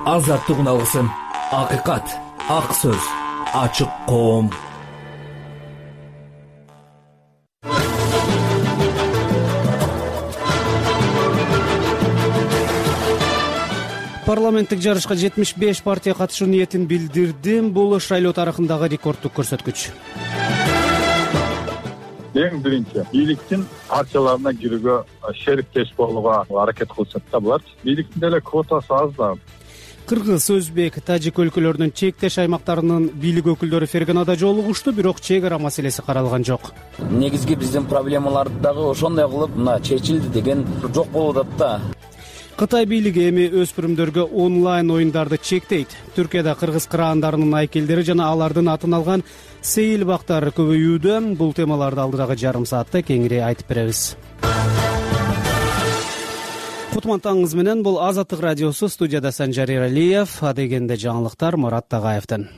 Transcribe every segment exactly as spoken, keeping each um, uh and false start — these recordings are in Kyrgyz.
азаттык үналгысын, акыйкат, ак сөз, ачык коом. Парламенттик жарышка жетимиш беш партия катышуу ниетин билдирди. Бул шайлоо тарыхындагы рекордтук көрсөткүч. Эң биринчи бийликтин партияларына кирүүгө шериктеш болууга аракет кылышат да булар. Бийликтин деле квотасы аз да. Кыргыз, өзбек, тажик өлкөлөрүнүн чектеш аймактарынын бийлик өкүлдөрү Ферганада жолугушту, бирок чек ара маселеси каралган жок. Негизги биздин проблемаларды дагы ошондой кылып мына чечилди деген жок болуп атат да. Кытай бийлиги эми өспүрүмдөргө онлайн оюндарды чектейт. Түркияда кыргыз кыраандарынын айкелдери жана алардын атын алган сейил бактар көбөйүүдө. Бул темаларды алдыдагы жарым саатта кеңири айтып беребиз. Кутман-таңыңыз менен, бул Азаттык радиосу, студияда Санжар Эралиев, адегенде жаңылыктар Мурат Тагаевден.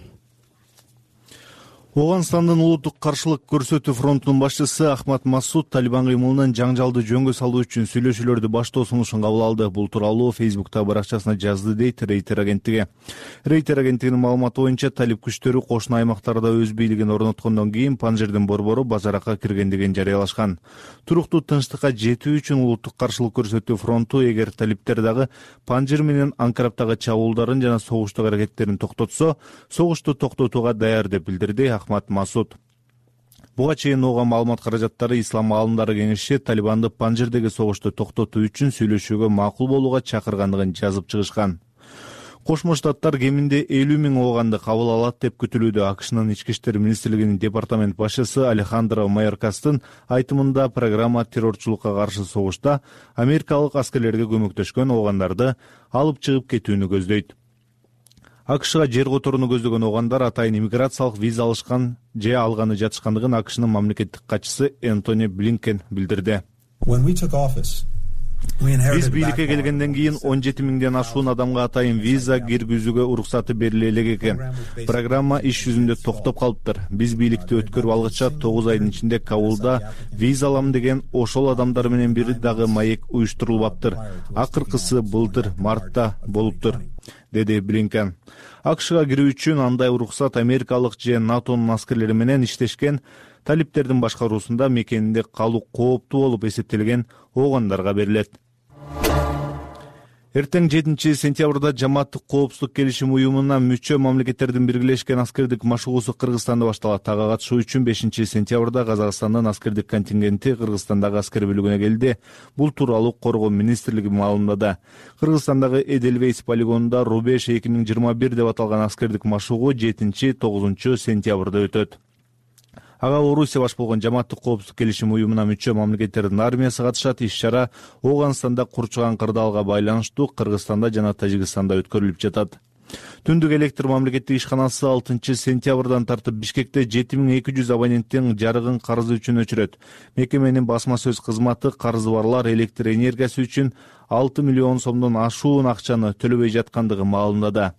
Оганстандын улуттук каршылык көрсөтүү фронтунун башчысы Ахмад Масуд Талибан кыймылынын жаңжалды жөнгө салуу үчүн сүйлөшүүлөрдү баштоо сунушун кабыл алды. Бул тууралуу Фейсбуктагы баракчасына жазды, дейт Рейтер агенттиги. Рейтер агенттигинин маалыматы боюнча, талиб күчтөрү кошуна аймактарда өз бийлигин орноткондон кийин Панжирдин борбору базаракка киргендигин жарыялашкан. Туруктуу тынчтыкка жетүү үчүн улуттук каршылык көрсөтүү фронту эгер талиптер дагы Панжир менен Анкараптагы чабуулдарын жана согуштук аракеттерин токтотсо, согушту токтотууга даяр деп билдирди Ахмад Масуд. Буга чейин ООН маалымат каражаттары Ислам аалымдары кеңеши Талибанды Панжирдеги согушту токтотуу үчүн сүйлөшүүгө макул болууга чакыргандыгын жазып чыгышкан. Кошмо Штаттар кеминде элүү миң ооганды кабыл алат деп күтүлүүдө. АКШнын ички иштер министрлигинин департамент башчысы Алехандро Майоркастын айтымында, программа террорчулукка каршы согушта америкалык аскерлерге көмөктөшкөн оогандарды алып чыгып кетүүнү көздөйт. АКШга жер которууну көздөгөн огандар атайын иммиграциялык виза алышкан же алганы жатышкандыгын АКШнын мамлекеттик катчысы Энтони Блинкен билдирди. Биз бийликке келгенден кийин он жети миңден ашуун адамга атайын виза киргизүүгө уруксаты бериле элек экен. Программа иш жүзүндө токтоп калыптыр. Биз бийликти өткөрүп алгыча тогуз айдын ичинде Кабулда виза алам деген ошол адамдар менен бир дагы маек уюштурулбаптыр. Акыркысы былтыр мартта болуптур, деди Блинкен. АКШга кирүү үчүн андай уруксат америкалык же НАТОнун аскерлери менен иштешкен талиптердин башкаруусунда мекенинде калуу кооптуу болуп эсептелген оогандарга берилет. Эртең жетинчи сентябрда Жамааттык коопсуздук келишим уюмуна мүчө мамлекеттердин биргелешкен аскердик машыгуусу Кыргызстанда башталат. Ага катышуу үчүн бешинчи сентябрда Казакстандын аскердик контингенти Кыргызстандагы аскер бөлүгүнө келди. Бул тууралуу Коргоо министрлиги маалымдады. Кыргызстандагы Эдельвейс полигонунда Рубеж эки миң жыйырма бир деп аталган аскердик машыгуу жетинчи тогузунчу сентябрда өтөт. Ага Орусия баш болгон Жамааттык коопсуздук келишим уюмуна мүчө мамлекеттердин армиясы катышат. Иш-чара Оогандстанда курчуган кырдаалга байланыштуу Кыргызстанда жана Тажикстанда өткөрүлүп жатат. Түндүк электр мамлекеттик ишканасы алтынчы сентябрдан тартып Бишкекте жети миң эки жүз абоненттин жарыгын карызы үчүн өчүрөт. Мекеменин басма сөз кызматы карызы барлар электр энергиясы үчүн алты миллион сомдон ашуун акчаны төлөбөй жаткандыгын маалымдады.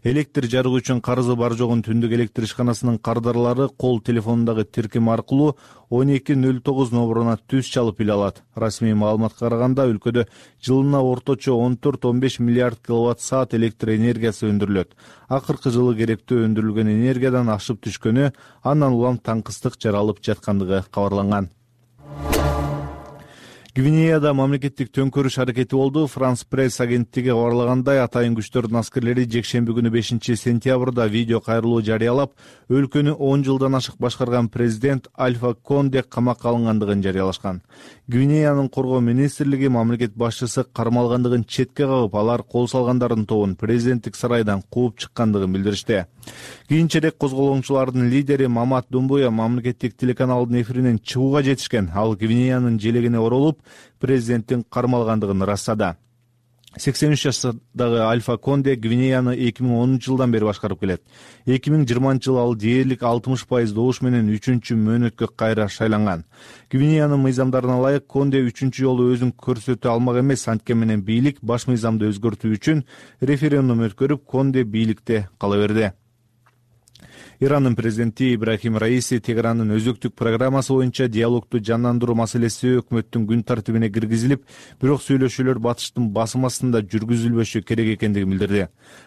Электр жарыгы үчүн карызы бар жогун түндүк электр ишканасынын кардарлары кол телефонундагы тиркем аркылуу он эки нөл тогуз номуруна түз чалып биле алат. Расмий маалыматка караганда өлкөдө жылына орточо он төрт он беш миллиард киловатт саат электр энергиясы өндүрүлөт. Акыркы жылы керектүү өндүрүлгөн энергиядан ашып түшкөнү, андан улам таңкыстык жаралып жаткандыгы кабарланган. Гвинеяда мамлекеттик төңкөрүш аракети болду. Франс пресс агенттиги кабарлагандай, атайын күчтөрдүн аскерлери жекшемби күнү бешинчи сентябрда видео кайрылуу жарыялап, өлкөнү он жылдан ашык башкарган президент Альфа Конде камакка алынгандыгын жарыялашкан. Гвинеянын коргоо министрлиги мамлекет башчысы кармалгандыгын четке кагып, алар кол салгандардын тобун президенттик сарайдан кууп чыккандыгын билдиришти. Кийинчерээк козголоңчулардын лидери Мамат Думбуя мамлекеттик телеканалдын эфиринен чыгууга жетишкен. Ал Гвинеянын желегине оролуп, президенттин кармалгандыгын ырастады. сексен үч жаштагы Альфа Конде Гвинеяны эки миң онунчу жылдан бери башкарып келет. эки миң жыйырманчы жылы ал дээрлик алтымыш пайыз добуш менен үчүнчү мөөнөткө кайра шайланган. Гвинеянын мыйзамдарына ылайык Конде үчүнчү жолу өзүн көрсөтө алмак эмес, анткени менен бийлик баш мыйзамды өзгөртүү үчүн референдум өткөрүп, Конде бийликте кала берди. Ирандын президенти Ибрахим Раиси Тегерандын өзөктүк программасы боюнча диалогду жандандыруу маселеси өкмөттүн күн тартибине киргизилип, бирок сүйлөшүүлөр батыштын басым астында жүргүзүлбөшү керек экендигин билдирди.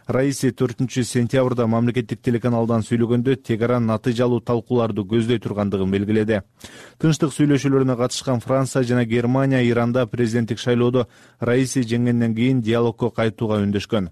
Раиси төртүнчү сентябрда мамлекеттик телеканалдан сүйлөгөндө Тегеран натыйжалуу талкууларды көздөй тургандыгын белгиледи. Тынчтык сүйлөшүүлөрүнө катышкан Франция жана Германия Иранда президенттик шайлоодо Раиси жеңгенден кийин диалогко кайтууга үндөшкөн.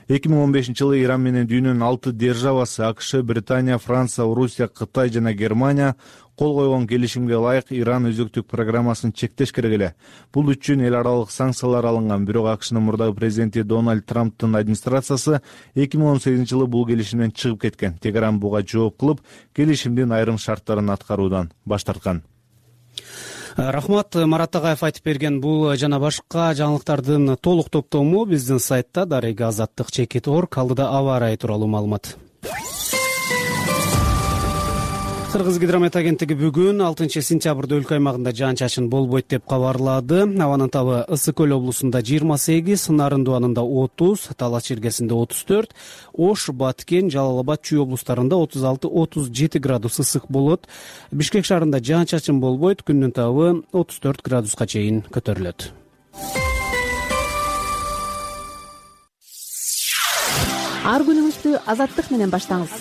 эки миң он бешинчи жылы Иран менен дүйнөнүн алты державасы АКШ, Британия, Франция, Орусия, Кытай жана Германия кол койгон келишимге ылайык Иран өзөктүк программасын чектеш керек эле. Бул үчүн эл аралык санкциялар алынган, бирок АКШнын мурдагы президенти Дональд Трамптын администрациясы эки миң он сегизинчи жылы бул келишимден чыгып кеткен. Тегеран буга жооп кылып, келишимдин айрым шарттарын аткаруудан баш тарткан. Рахмат, Марат Агаев айтып берген бул жана башка жаңылыктардын толук топтому биздин сайтта дарега азаттык чекит точка орг. Алдыда аба ырайы тууралуу маалымат. Кыргыз гидромет агенттиги бүгүн алтынчы сентябрда өлкө аймагында жаан-чачын болбойт деп кабарлады. Абанын табы Ысык көл облусунда жыйырма сегиз, Нарындуу анында отуз, Талас чиркесинде отуз төрт, Ош, Баткен, Жалал Абад, Чүй облустарында отуз алты отуз жети градус ысык болот. Бишкек шаарында жаан-чачын болбойт, күндүн табы отуз төрт градуска чейин көтөрүлөт. Ар күнүңүздү азаттык менен баштаңыз.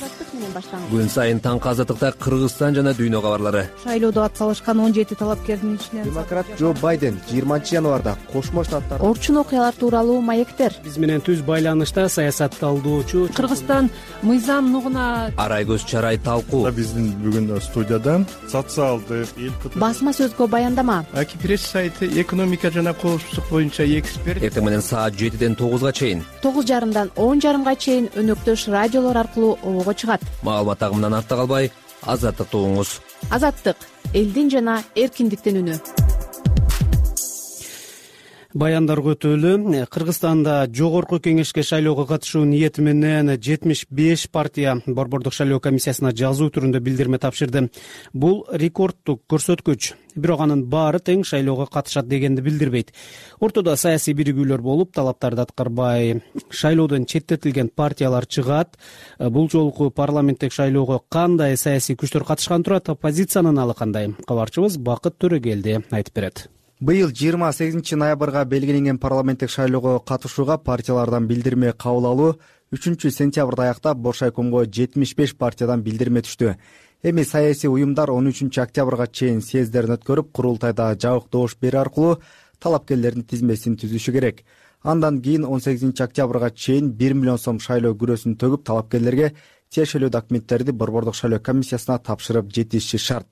Күн сайын таңкы азаттыкта Кыргызстан жана дүйнө кабарлары. Шайлоодо атсалышкан он жети талапкердин ичинен демократ Джо Байден жыйырманчы январда Кошмо Штаттар орчун окуялар тууралуу маектер. Биз менен түз байланышта саясат талдоочу Кыргызстан мыйзам нугуна Арай көз чарай талкуу. Биздин бүгүн студияда социалдык басма сөзгө баяндама. Аки пресс сайты экономика жана коопсуздук боюнча эксперт. Эртең менен саат жетиден тогузга чейин, тогуз жарымдан он жарымга чейин өнөктөш радиолор аркылуу обого чыгат. Маалымат агымынан артта калбай, азаттыкты угуңуз. Азаттык — элдин жана эркиндиктин үнү. Баяндар өтөлү. Кыргызстанда жогорку кеңешке шайлоого катышуу ниети менен жетимиш беш партия Борбордук шайлоо комиссиясына жазуу түрүндө билдирме тапшырды. Бул рекордтук көрсөткүч. Бирок анын баары тең шайлоого катышат дегенди билдирбейт. Ортодо саясий биригүүлөр болуп, талаптарды аткарбай шайлоодон четтетилген партиялар чыгат. Бул жолку парламенттик шайлоого кандай саясий күчтөр катышкан турат? Оппозициянын алы кандай? Кабарчыбыз Бакыт Төрөгелди айтып берет. Быйыл жыйырма сегизинчи ноябрга белгиленген парламенттик шайлоого катышууга партиялардан билдирме кабыл алуу үчүнчү сентябрда аяктап Боршайкомго жетимиш беш партиядан билдирме түштү. Эми саясий уюмдар он үчүнчү октябрга чейин съездерин өткөрүп, курултайда жабык добуш берүү аркылуу талапкерлердин тизмесин түзүшү керек. Андан кийин он сегизинчи октябрга чейин бир миллион сом шайлоо күрөсүн төгүп, талапкерлерге тиешелүү документтерди Борбордук шайлоо комиссиясына тапшырып жетишиши шарт.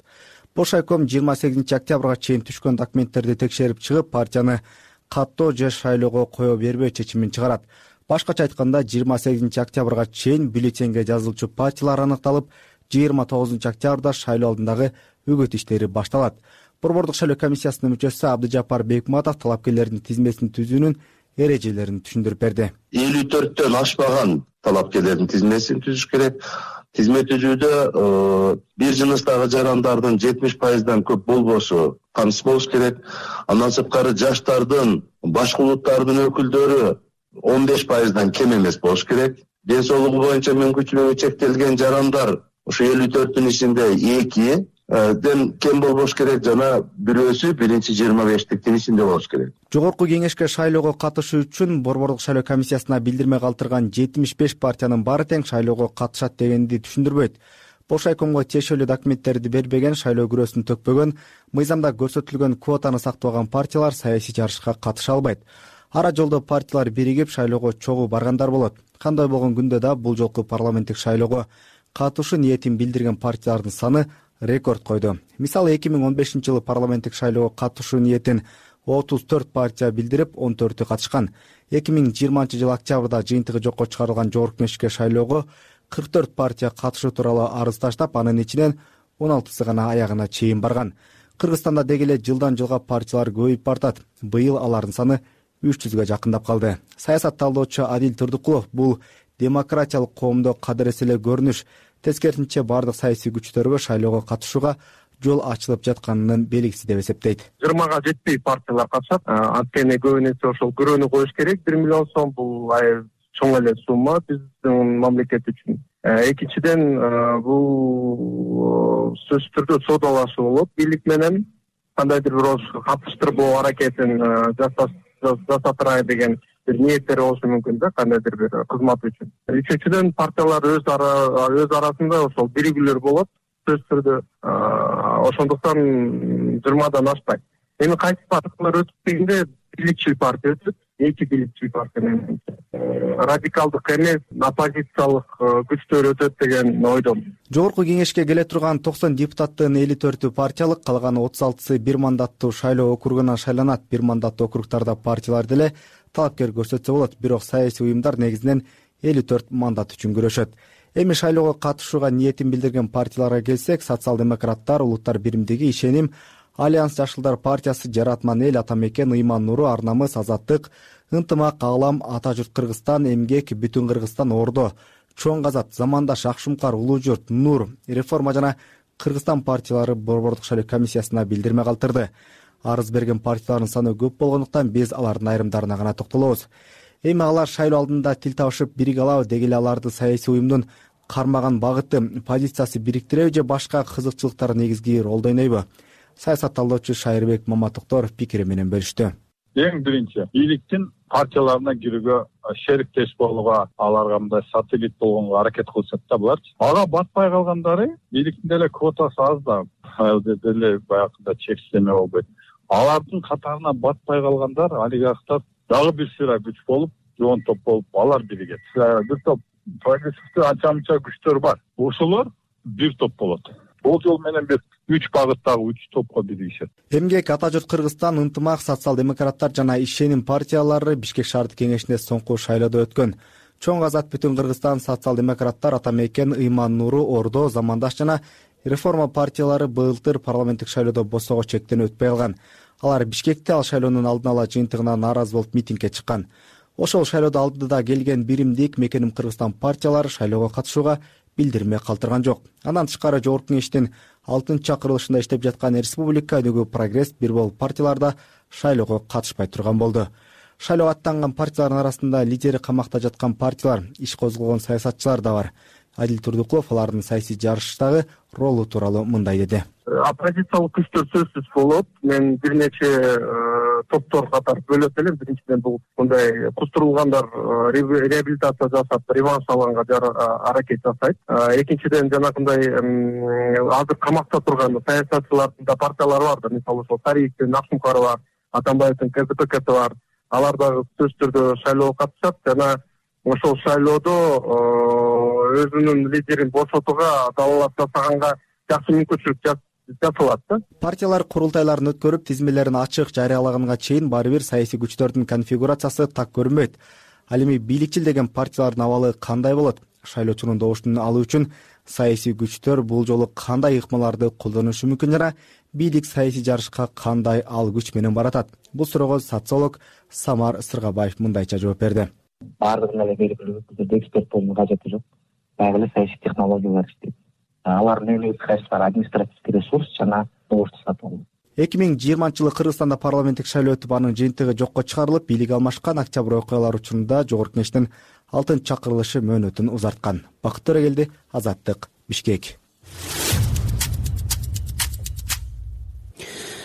Боршайком жыйырма сегизинчи октябрга чейин түшкөн документтерди текшерип чыгып, партияны каттоо же шайлоого кое бербөө чечимин чыгарат. Башкача айтканда, жыйырма сегизинчи октябрга чейин бюллетенге жазылчу партиялар аныкталып, жыйырма тогузунчу октябрда шайлоо алдындагы үгүт иштери башталат. Борбордук шайлоо комиссиясынын мүчөсү Абдыжапар Бекматов талапкерлердин тизмесин түзүүнүн эрежелерин түшүндүрүп берди. элүү төрттөн ашпаган талапкерлердин тизмесин түзүш керек. Тизме түзүүдө бир жыныстагы жарандардын жетимиш пайыздан көп болбошу камсыз болуш керек. Андан сырткары жаштардын, башка улуттардын өкүлдөрү он беш пайыздан кем эмес болуш керек. Ден соолугу боюнча мүмкүнчүлүгү чектелген жарандар ушу элүү төрттүн ичинде эки ден кем болбош керек, жана бирөөсү биринчи жыйырма бештиктин ичинде болуш керек. Жогорку кеңешке шайлоого катышуу үчүн Борбордук шайлоо комиссиясына билдирме калтырган жетимиш беш партиянын баары тең шайлоого катышат дегенди түшүндүрбөйт. Боршайкомго тиешелүү документтерди бербеген, шайлоо күрөсүн төкпөгөн, мыйзамда көрсөтүлгөн квотаны сактабаган партиялар саясий жарышка катыша албайт. Ара жолдо партиялар биригип шайлоого чогуу баргандар болот. Кандай болгон күндө да бул жолку парламенттик шайлоого катышуу ниетин билдирген партиялардын саны рекорд койду. Мисалы, эки миң он бешинчи жылы парламенттик шайлоого катышуу ниетин отуз төрт партия билдирип, он төртү катышкан. эки миң жыйырманчы жылы октябрда жыйынтыгы жокко чыгарылган жогорку кеңешке шайлоого кырк төрт партия катышуу тууралуу арыз таштап, анын ичинен он алтысы гана аягына чейин барган. Кыргызстанда деги эле жылдан жылга партиялар көбөйүп бартат. Быйыл алардын саны үч жүзгө жакындап калды. Саясат талдоочу Адил Турдукулов бул демократиялык коомдо кадырес эле көрүнүш. Тескерисинче, бардык саясий күчтөргө шайлоого катышууга жол ачылып жатканын белгиси деп эсептейт. жыйырмага жетпей партиялар катышат. Анткени көбүнесе ошол күрөөнү коюш керек. бир миллион сом бул чоң эле сумма биздин мамлекет үчүн. Экинчиден бул сөзсүз түрдө соодалашуу болот бийлик менен, кандайдыр бир катыштырбоо аракетин жасатырай деген бир ниеттери болушу мүмкүн да, кандайдыр бир кызмат үчүн. Үчүнчүдөн партиялар өз өз арасында ошол биригүүлөр болот сөзсүз түрдө, ошондуктан жыйырмадан ашпайт. Эми кайсы партиялар өтүп дегенде бийликчил партия өтүп, эки бийликчил партия менен радикалдык эмес, оппозициялык күчтөр өтөт деген ойдомун. Жогорку кеңешке келе турган токсон депутаттын элүү төртү партиялык, калган отуз алтысы бир мандаттуу шайлоо округунан шайланат. Бир мандаттуу округтарда партиялар деле талапкер көрсөтсө болот, бирок саясий уюмдар негизинен элүү төрт мандат үчүн күрөшөт. Эми шайлоого катышууга ниетин билдирген партияларга келсек, социал-демократтар, Улуттар биримдиги, Ишеним, Альянс Жашылдар партиясы, Жаратман эл, Атамекен, Ыйман Нуру, Ар намыс, Азаттык, Ынтымак, Аалам, Ата журт Кыргызстан, Эмгек, Бүтүн Кыргызстан, Ордо, Чоң Казат, Замандаш, Акшумкар, Улуу журт, Нур, Реформа жана Кыргызстан партиялары Борбордук шайлоо комиссиясына билдирме калтырды. Арыз берген партиялардын саны көп болгондуктан биз алардын айрымдарына гана токтолобуз. Эми алар шайлоо алдында тил табышып бириге алабы, деги эле аларды саясий уюмдун кармаган багыты, позициясы бириктиреби же башка кызыкчылыктар негизги ролду ойнойбу? Саясатталуучу Шайырбек Маматокторов пикири менен бөлүштү. Эң биринчи, бийликтин партияларына кирүүгө, шериктеш болууга, аларга мындай сателлит болгонго аракет кылышат да булар. Ага батпай калгандары, бийликтин деле квотасы аз да, деле баягыда чектеме болбойт. Алардын катарына батпай калгандар, олигархтар дагы бир сыйра күч болуп, жоон топ болуп, алар биригет. Бир топ прогрессивдүү анча-мынча күчтөр бар. Ошолор бир топ болот. Бул жол менен бир үч багыттагы үч топко биригишет. Эмгек, Ата журт Кыргызстан, Ынтымак, социал-демократтар жана Ишеним партиялары Бишкек шаардык кеңешинде соңку шайлоодо өткөн. Чоң Казат, Бүтүн Кыргызстан, социал-демократтар, Атамекен, Ыйман Нуру, Ордо, Замандаш жана Реформа партиялары былтыр парламенттик шайлоодо босого чектен өтпөй калган. Алар Бишкекте ал шайлоонун алдын ала жыйынтыгына нааразы болуп митингге чыккан. Ошол шайлоодо алдыда келген Биримдик, Мекеним Кыргызстан партиялары шайлоого катышууга билдирме калтырган жок. Андан тышкары жогорку кеңештин алтынчы чакырылышында иштеп жаткан Республика өнүгүү Прогресс бир болуп партияларда шайлоого катышпай турган болду. Шайлоого аттанган партиялардын арасында лидери камакта жаткан партиялар, иш козгогон саясатчылар да бар. Адил Турдукулов алардын саясий жарыштагы ролу тууралуу мындай деди. Оппозициялык күчтөр сөзсүз болот. Мен бир нече топтор катар бөлөт элем. Биринчиден бул мындай кустурулгандар реабилитация жасап, реванш алганга аракет жасайт. Экинчиден жанагындай азыр камакта турган саясатчылардын да партиялары бар да. Мисалы ошол Тариевдин Акшумкары бар, Атамбаевдин КЗПКсы бар. Алар дагы сөзсүз түрдө шайлоого катышат жана ошол шайлоодо өзүнүн лидерин бошотууга далалап жасаганга жакшы мүмкүнчүлүк жасалат да. Партиялар курултайларын өткөрүп, тизмелерин ачык жарыялаганга чейин баары бир саясий күчтөрдүн конфигурациясы так көрүнбөйт. Ал эми бийликчил деген партиялардын абалы кандай болот? Шайлоочунун добуштун алуу үчүн саясий күчтөр бул жолу кандай ыкмаларды колдонушу мүмкүн жана бийлик саясий жарышка кандай ал күч менен баратат? Бул суроого социолог Самар Сыргабаев мындайча жооп берди. Баардыгын эле белгилүү түрдө эксперт болуунун кажети жок. Баягы эле саясий технологиялар иштейт. Алардын негизги кайсылары административдик ресурс жана добушту сатып алуу. эки миң жыйырманчы жылы Кыргызстанда парламенттик шайлоо өтүп, анын жыйынтыгы жокко чыгарылып, бийлик алмашкан октябрь окуялары учурунда жогорку кеңештин алтынчы чакырылышы мөөнөтүн узарткан. Бакыт Төрөгелди, Азаттык, Бишкек.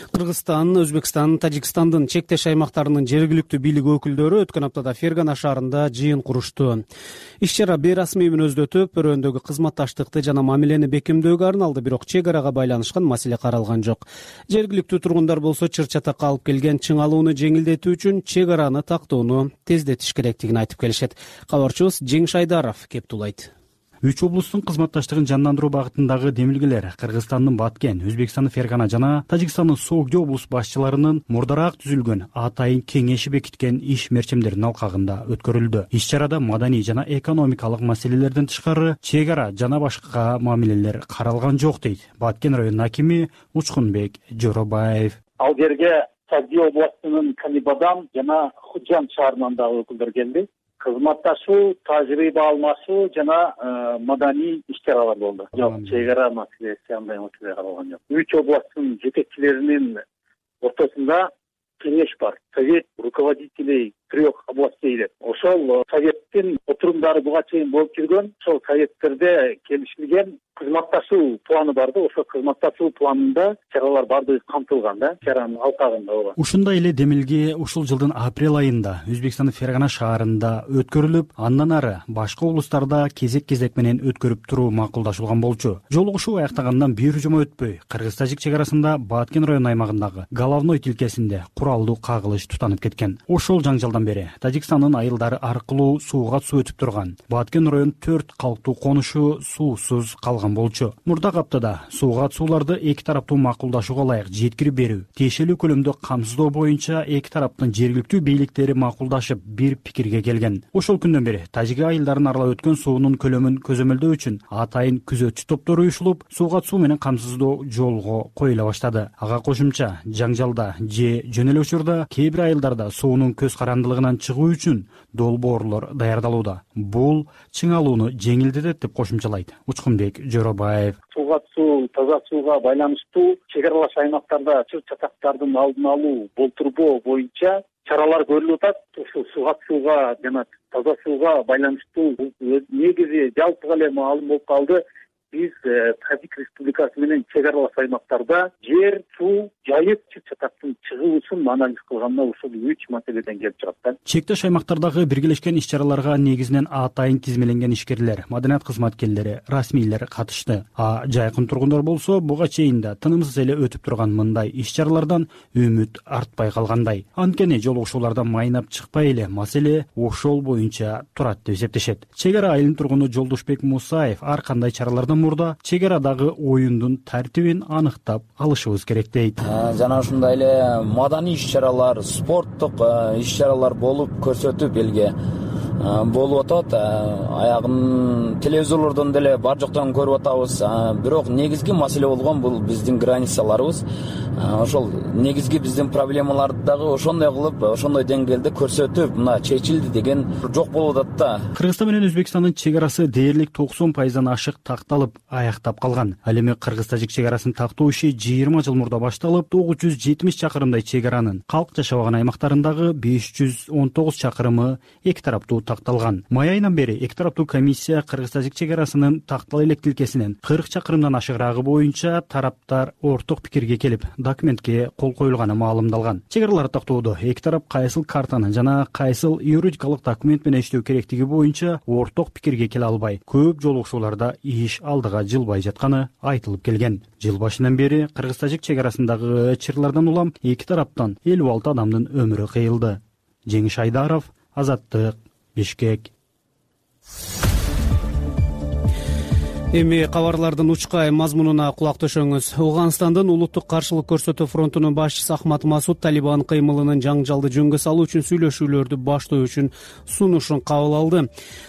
Кыргызстан, Өзбекстан, Тажикстандын чектеш аймактарынын жергиликтүү бийлик өкүлдөрү өткөн аптада Фергана шаарында жыйын курушту. Иш-чара бейрасмий мүнөздө өтүп, өрөөндөгү кызматташтыкты жана мамилени бекемдөөгө арналды, бирок чек арага байланышкан маселе каралган жок. Жергиликтүү тургундар болсо чыр-чатакка алып келген чыңалууну жеңилдетүү үчүн чек араны тактоону тездетиш керектигин айтып келишет. Кабарчыбыз Жеңиш Айдаров кептулайт. Үч облустун кызматташтыгын жандандыруу багытындагы демилгелер Кыргызстандын Баткен, Өзбекстандын Фергана жана Тажикстандын Согди облус башчыларынын мурдараак түзүлгөн атайын кеңеши бекиткен иш мерчемдеринин алкагында өткөрүлдү. Иш-чарада маданий жана экономикалык маселелерден тышкары чек ара жана башка мамилелер каралган жок дейт Баткен районунун акими Учкунбек Жоробаев. Ал жерге Согди областынын Канибадан жана Худжан шаарынан дагы өкүлдөр келди. Кызматташуу, тажрыйба алмашуу жана маданий иш-чаралар болду. Жок, чек ара маселеси андай маселе каралган жок. Үч областтын жетекчилеринин ортосунда кеңеш бар. совет руководителей трех областей деп. Ошол советтин отурумдары буга чейин болуп жүргөн. Ошол советтерде келишилген кызматташуу планы бар да, ошол кызматташуу планында чаралар баардыгы камтылган да, чаранын алкагында ооба. Ушундай эле демилге ушул жылдын апрель айында Өзбекстандын Фергана шаарында өткөрүлүп, андан ары башка облустарда кезек-кезек менен өткөрүп туруу макулдашылган болчу. Жолугушуу аяктагандан бир жума өтпөй, Кыргыз-Тажик чек арасында Баткен район аймагындагы Головной тилкесинде куралдуу кагылыш тутанып кеткен. Ошол жаңжалдан бери Тажикстандын айылдары аркылуу сууга суу өтүп турган Баткен район төрт калктуу конушу суусуз калган болчу. Мурдагы аптада сууга сууларды эки тараптуу макулдашууга ылайык жеткирип берүү, тиешелүү көлөмдө камсыздоо боюнча эки тараптын жергиликтүү бийликтери макулдашып бир пикирге келген. Ошол күндөн бери тажик айылдарын аралап өткөн суунун көлөмүн көзөмөлдөө үчүн атайын күзөтчү топтор уюшулуп, сууга суу менен камсыздоо жолго коюла баштады. Ага кошумча жаңжалда же жөн эле учурда кээ бир айылдарда суунун көз карандылыгынан чыгуу үчүн долбоорлор даярдалууда. Бул чыңалууну жеңилдетет деп кошумчалайт Учкунбек Жоробаев. Сууга суу, таза сууга байланыштуу чек аралаш аймактарда чыр чатактардын алдын алуу, болтурбоо боюнча чаралар көрүлүп атат. Ушул сууга сууга жана таза сууга байланыштуу негизи жалпыга эле маалым болуп калды. Биз Тажик Республикасы менен чек аралаш аймактарда жер, суу, жайык чыр чатактын чыгуусун анализ кылганда ушул үч маселеден келип чыгат да. Чектеш аймактардагы биргелешкен иш-чараларга негизинен атайын тизмеленген ишкерлер, маданият кызматкерлери, расмийлер катышты. А жайкын тургундар болсо буга чейин да тынымсыз эле өтүп турган мындай иш-чаралардан үмүт артпай калгандай. Анткени жолугушуулардан майнап чыкпай эле маселе ошол боюнча турат деп эсептешет. Чек ара айылынын тургуну Жолдошбек Мусаев ар кандай чаралардан мурда чек арадагы оюндун тартибин аныктап алышыбыз керек дейт. Жана ушундай эле маданий иш-чаралар, спорттук иш-чаралар болуп көрсөтүп элге болуп атат. Аягын телевизорлордон деле бар жоктон көрүп атабыз. Бирок негизги маселе болгон бул биздин границаларыбыз. Ошол негизги биздин проблемаларды дагы ошондой кылып, ошондой деңгээлде көрсөтүп, мына чечилди деген жок болуп атат да. Кыргызстан менен Өзбекстандын чек арасы дээрлик токсон пайыздан ашык такталып, аяктап калган. Ал эми Кыргыз-Тажик чек арасын тактоо иши жыйырма жыл мурда башталып, тогуз жүз жетимиш чакырымдай чек аранын калк жашабаган аймактарындагы беш жүз он тогуз чакырымы эки тараптуу такталган. Май айынан бери эки тараптуу комиссия Кыргыз-Тажик чек арасынын тактала элек тилкесинен кырк чакырымдан ашыгыраагы боюнча тараптар орток пикирге келип, документке кол коюлганы маалымдалган. Чек араларды тактоодо эки тарап кайсыл картаны жана кайсыл юридикалык документ менен иштөө керектиги боюнча орток пикирге келе албай, көп жолугушууларда иш алдыга жылбай жатканы айтылып келген. Жыл башынан бери Кыргыз-Тажик чек арасындагы чырлардан улам эки тараптан элүү алты адамдын өмүрү кыйылды. Жеңиш Айдаров, Азаттык, Бишкек. Эми кабарлардын учкай мазмунуна кулак төшөңүз. Ооганстандын улуттук каршылык көрсөтүү фронтунун башчысы Ахмат Масуд Талибан кыймылынын жаңжалды жөнгө салуу үчүн сүйлөшүүлөрдү баштоо үчүн сунушун кабыл алды.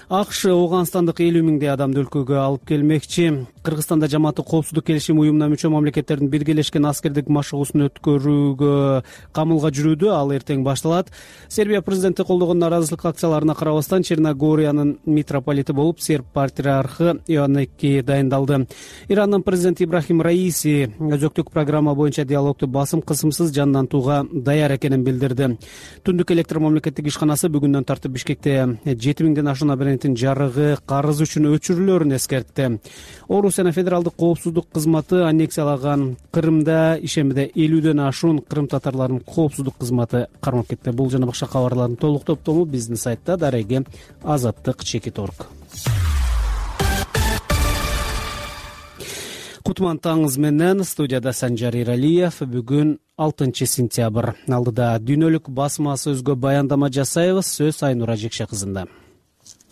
АКШ Ооганстандык элүү миңдей адамды өлкөгө алып келмекчи. Кыргызстанда жамааттык коопсуздук келишими уюмуна мүчө мамлекеттердин биргелешкен аскердик машыгуусун өткөрүүгө камылга жүрүүдө. Ал эртең башталат. Сербия президенти колдогон нааразычылык акцияларына карабастан Черногориянын митрополити болуп серб патриархы Иоанники дайындалды. Ирандын президенти Ибрахим Раиси өзөктүк программа боюнча диалогду басым кысымсыз жандантууга даяр экенин билдирди. Түндүк электр мамлекеттик ишканасы бүгүндөн тартып Бишкекте жети миңден ашуун абоненттин жарыгы карыз үчүн өчүрүлөөрүн эскертти. Орусия федералдык коопсуздук кызматы аннексиялаган Крымда ишембиде элүүдөн ашуун кырым татарларынын коопсуздук кызматы кармап кетти. Бул жана башка кабарлардын толук топтому биздин сайтта дареги азаттык чекит точка орг. Кутман таңыз менен студияда Санжар Иралиев. Бүгүн алтынчы сентябрь. Алдыда дүйнөлүк басмасы өзгө баяндама жасайбыз. Сөз Айнура Жекше кызында.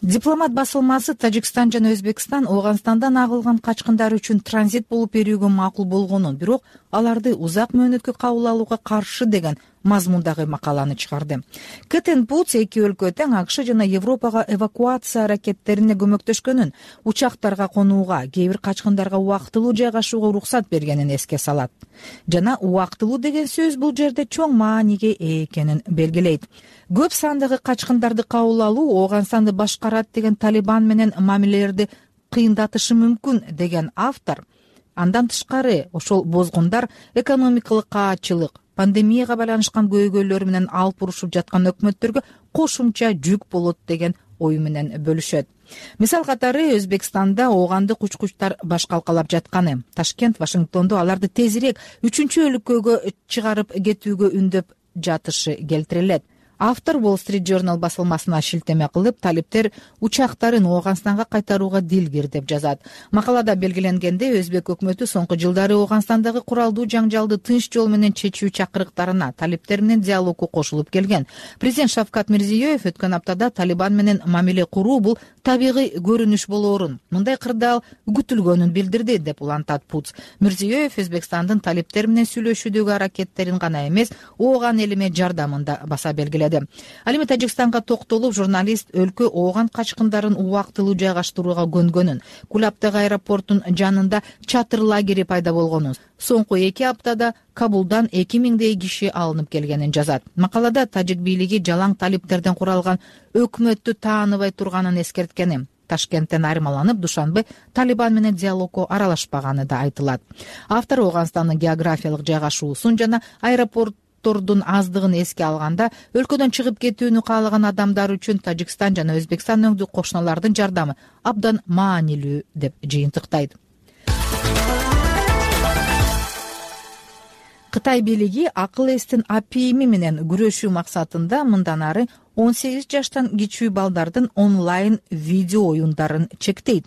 Дипломат басылмасы Тажикстан жана Өзбекстан Ооганстандан агылган качкындар үчүн транзит болуп берүүгө макул болгонун, бирок аларды узак мөөнөткө кабыл алууга каршы деген мазмундагы макаланы чыгарды. Кэтен Путс эки өлкө тең АКШ жана Европага эвакуация аракеттерине көмөктөшкөнүн, учактарга конууга, кээ бир качкындарга убактылуу жайгашууга уруксат бергенин эске салат. Жана убактылуу деген сөз бул жерде чоң мааниге ээ экенин белгилейт. Көп сандагы качкындарды кабыл алуу Ооганстанды башкарат деген Талибан менен мамилелерди кыйындатышы мүмкүн деген автор. Андан тышкары ошол бозгундар экономикалык каатчылык, пандемияга байланышкан көйгөйлөр менен алып урушуп жаткан өкмөттөргө кошумча жүк болот деген ою менен бөлүшөт. Мисал катары Өзбекстанда оогандык учкучтар баш калкалап жатканы, Ташкент, Вашингтондо аларды тезирээк үчүнчү өлкөгө чыгарып кетүүгө үндөп жатышы келтирилет. Автор Wall Street Journal басылмасына шилтеме кылып, талиптер учактарын Ооганстанга кайтарууга дилгир деп жазат. Макалада белгиленгендей, Өзбек өкмөтү соңку жылдары Ооганстандагы куралдуу жаңжалды тынч жол менен чечүү чакырыктарына талиптер менен диалогу кошулуп келген. Президент Шавкат Мирзиёев өткөн аптада Талибан менен мамиле куруу бул табигый көрүнүш болоорун, мындай кырдаал күтүлгөнүн билдирди деп улантат Путс. Мирзиёев Өзбекстандын талиптер менен сүйлөшүүдөгү аракеттерин гана эмес, ооган элиме жардамын да баса белгиледи. Ал эми Тажикстанга токтолуп, журналист өлкө ооган качкындарын убактылуу жайгаштырууга көнгөнүн, Кулаптагы аэропорттун жанында чатыр лагери пайда болгонун, соңку эки аптада Кабулдан эки миңдей киши алынып келгенин жазат. Макалада тажик бийлиги жалаң талиптерден куралган өкмөттү тааныбай турганын эскерткени, Ташкенттен айырмаланып, Душанбе Талибан менен диалогко аралашпаганы да айтылат. Автор Ооганстандын географиялык жайгашуусун жана аэропорт тордун аздыгын эске алганда, өлкөдөн чыгып кетүүнү каалаган адамдар үчүн Тажикстан жана Өзбекстан өңдүү кошуналардын жардамы абдан маанилүү деп жыйынтыктайт. Кытай бийлиги акыл эстин апийими менен күрөшүү максатында мындан ары он сегиз жаштан кичүү балдардын онлайн видео оюндарын чектейт.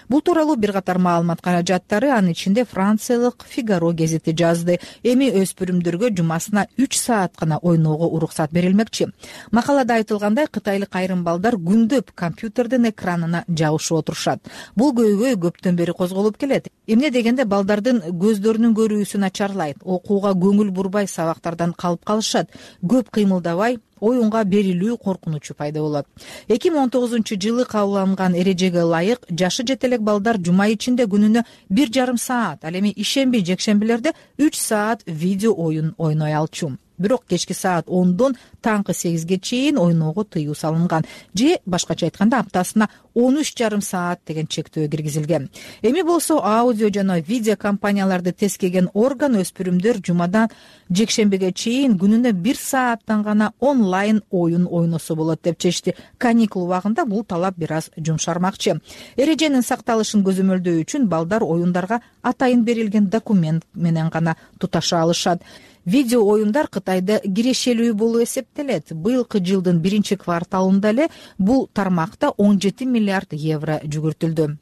Бул тууралуу бир катар маалымат каражаттары, анын ичинде Франциялык Фигаро гезити жазды. Эми өспүрүмдөргө жумасына үч саат гана ойноого уруксат берилмекчи. Макалада айтылгандай, кытайлык айрым балдар күндөп компьютердин экранына жабышып отурушат. Бул көйгөй көптөн бери козголуп келет. Эмне дегенде балдардын көздөрүнүн көрүүсү начарлайт, окууга көңүл бурбай сабактардан калып калышат, көп кыймылдабай оюнга берилүү коркунучу пайда болот. эки миң он тогузунчу жылы кабылган эрежеге ылайык жашы жете элек балдар жума ичинде күнүнө бир жарым саат, ал эми ишемби, жекшембилерде үч саат видео оюн ойной алчу. Бирок кечки саат ондон таңкы сегизге чейин ойноого тыюу салынган, же башкача айтканда аптасына он үч жарым саат деген чектөө киргизилген. Эми болсо аудио жана видео компанияларды тескеген орган өспүрүмдөр жумадан жекшембиге чейин күнүнө бир сааттан гана онлайн оюн ойносо болот деп чечти. Каникул убагында бул талап бир аз жумшармакчы. Эреженин сакталышын көзөмөлдөө үчүн балдар оюндарга атайын берилген документ менен гана туташа алышат. Видео оюндар Кытайда кирешелүү болуп эсептелет. Быйылкы жылдын биринчи кварталында эле бул тармакта он жети миллиард евро жүгүртүлдү.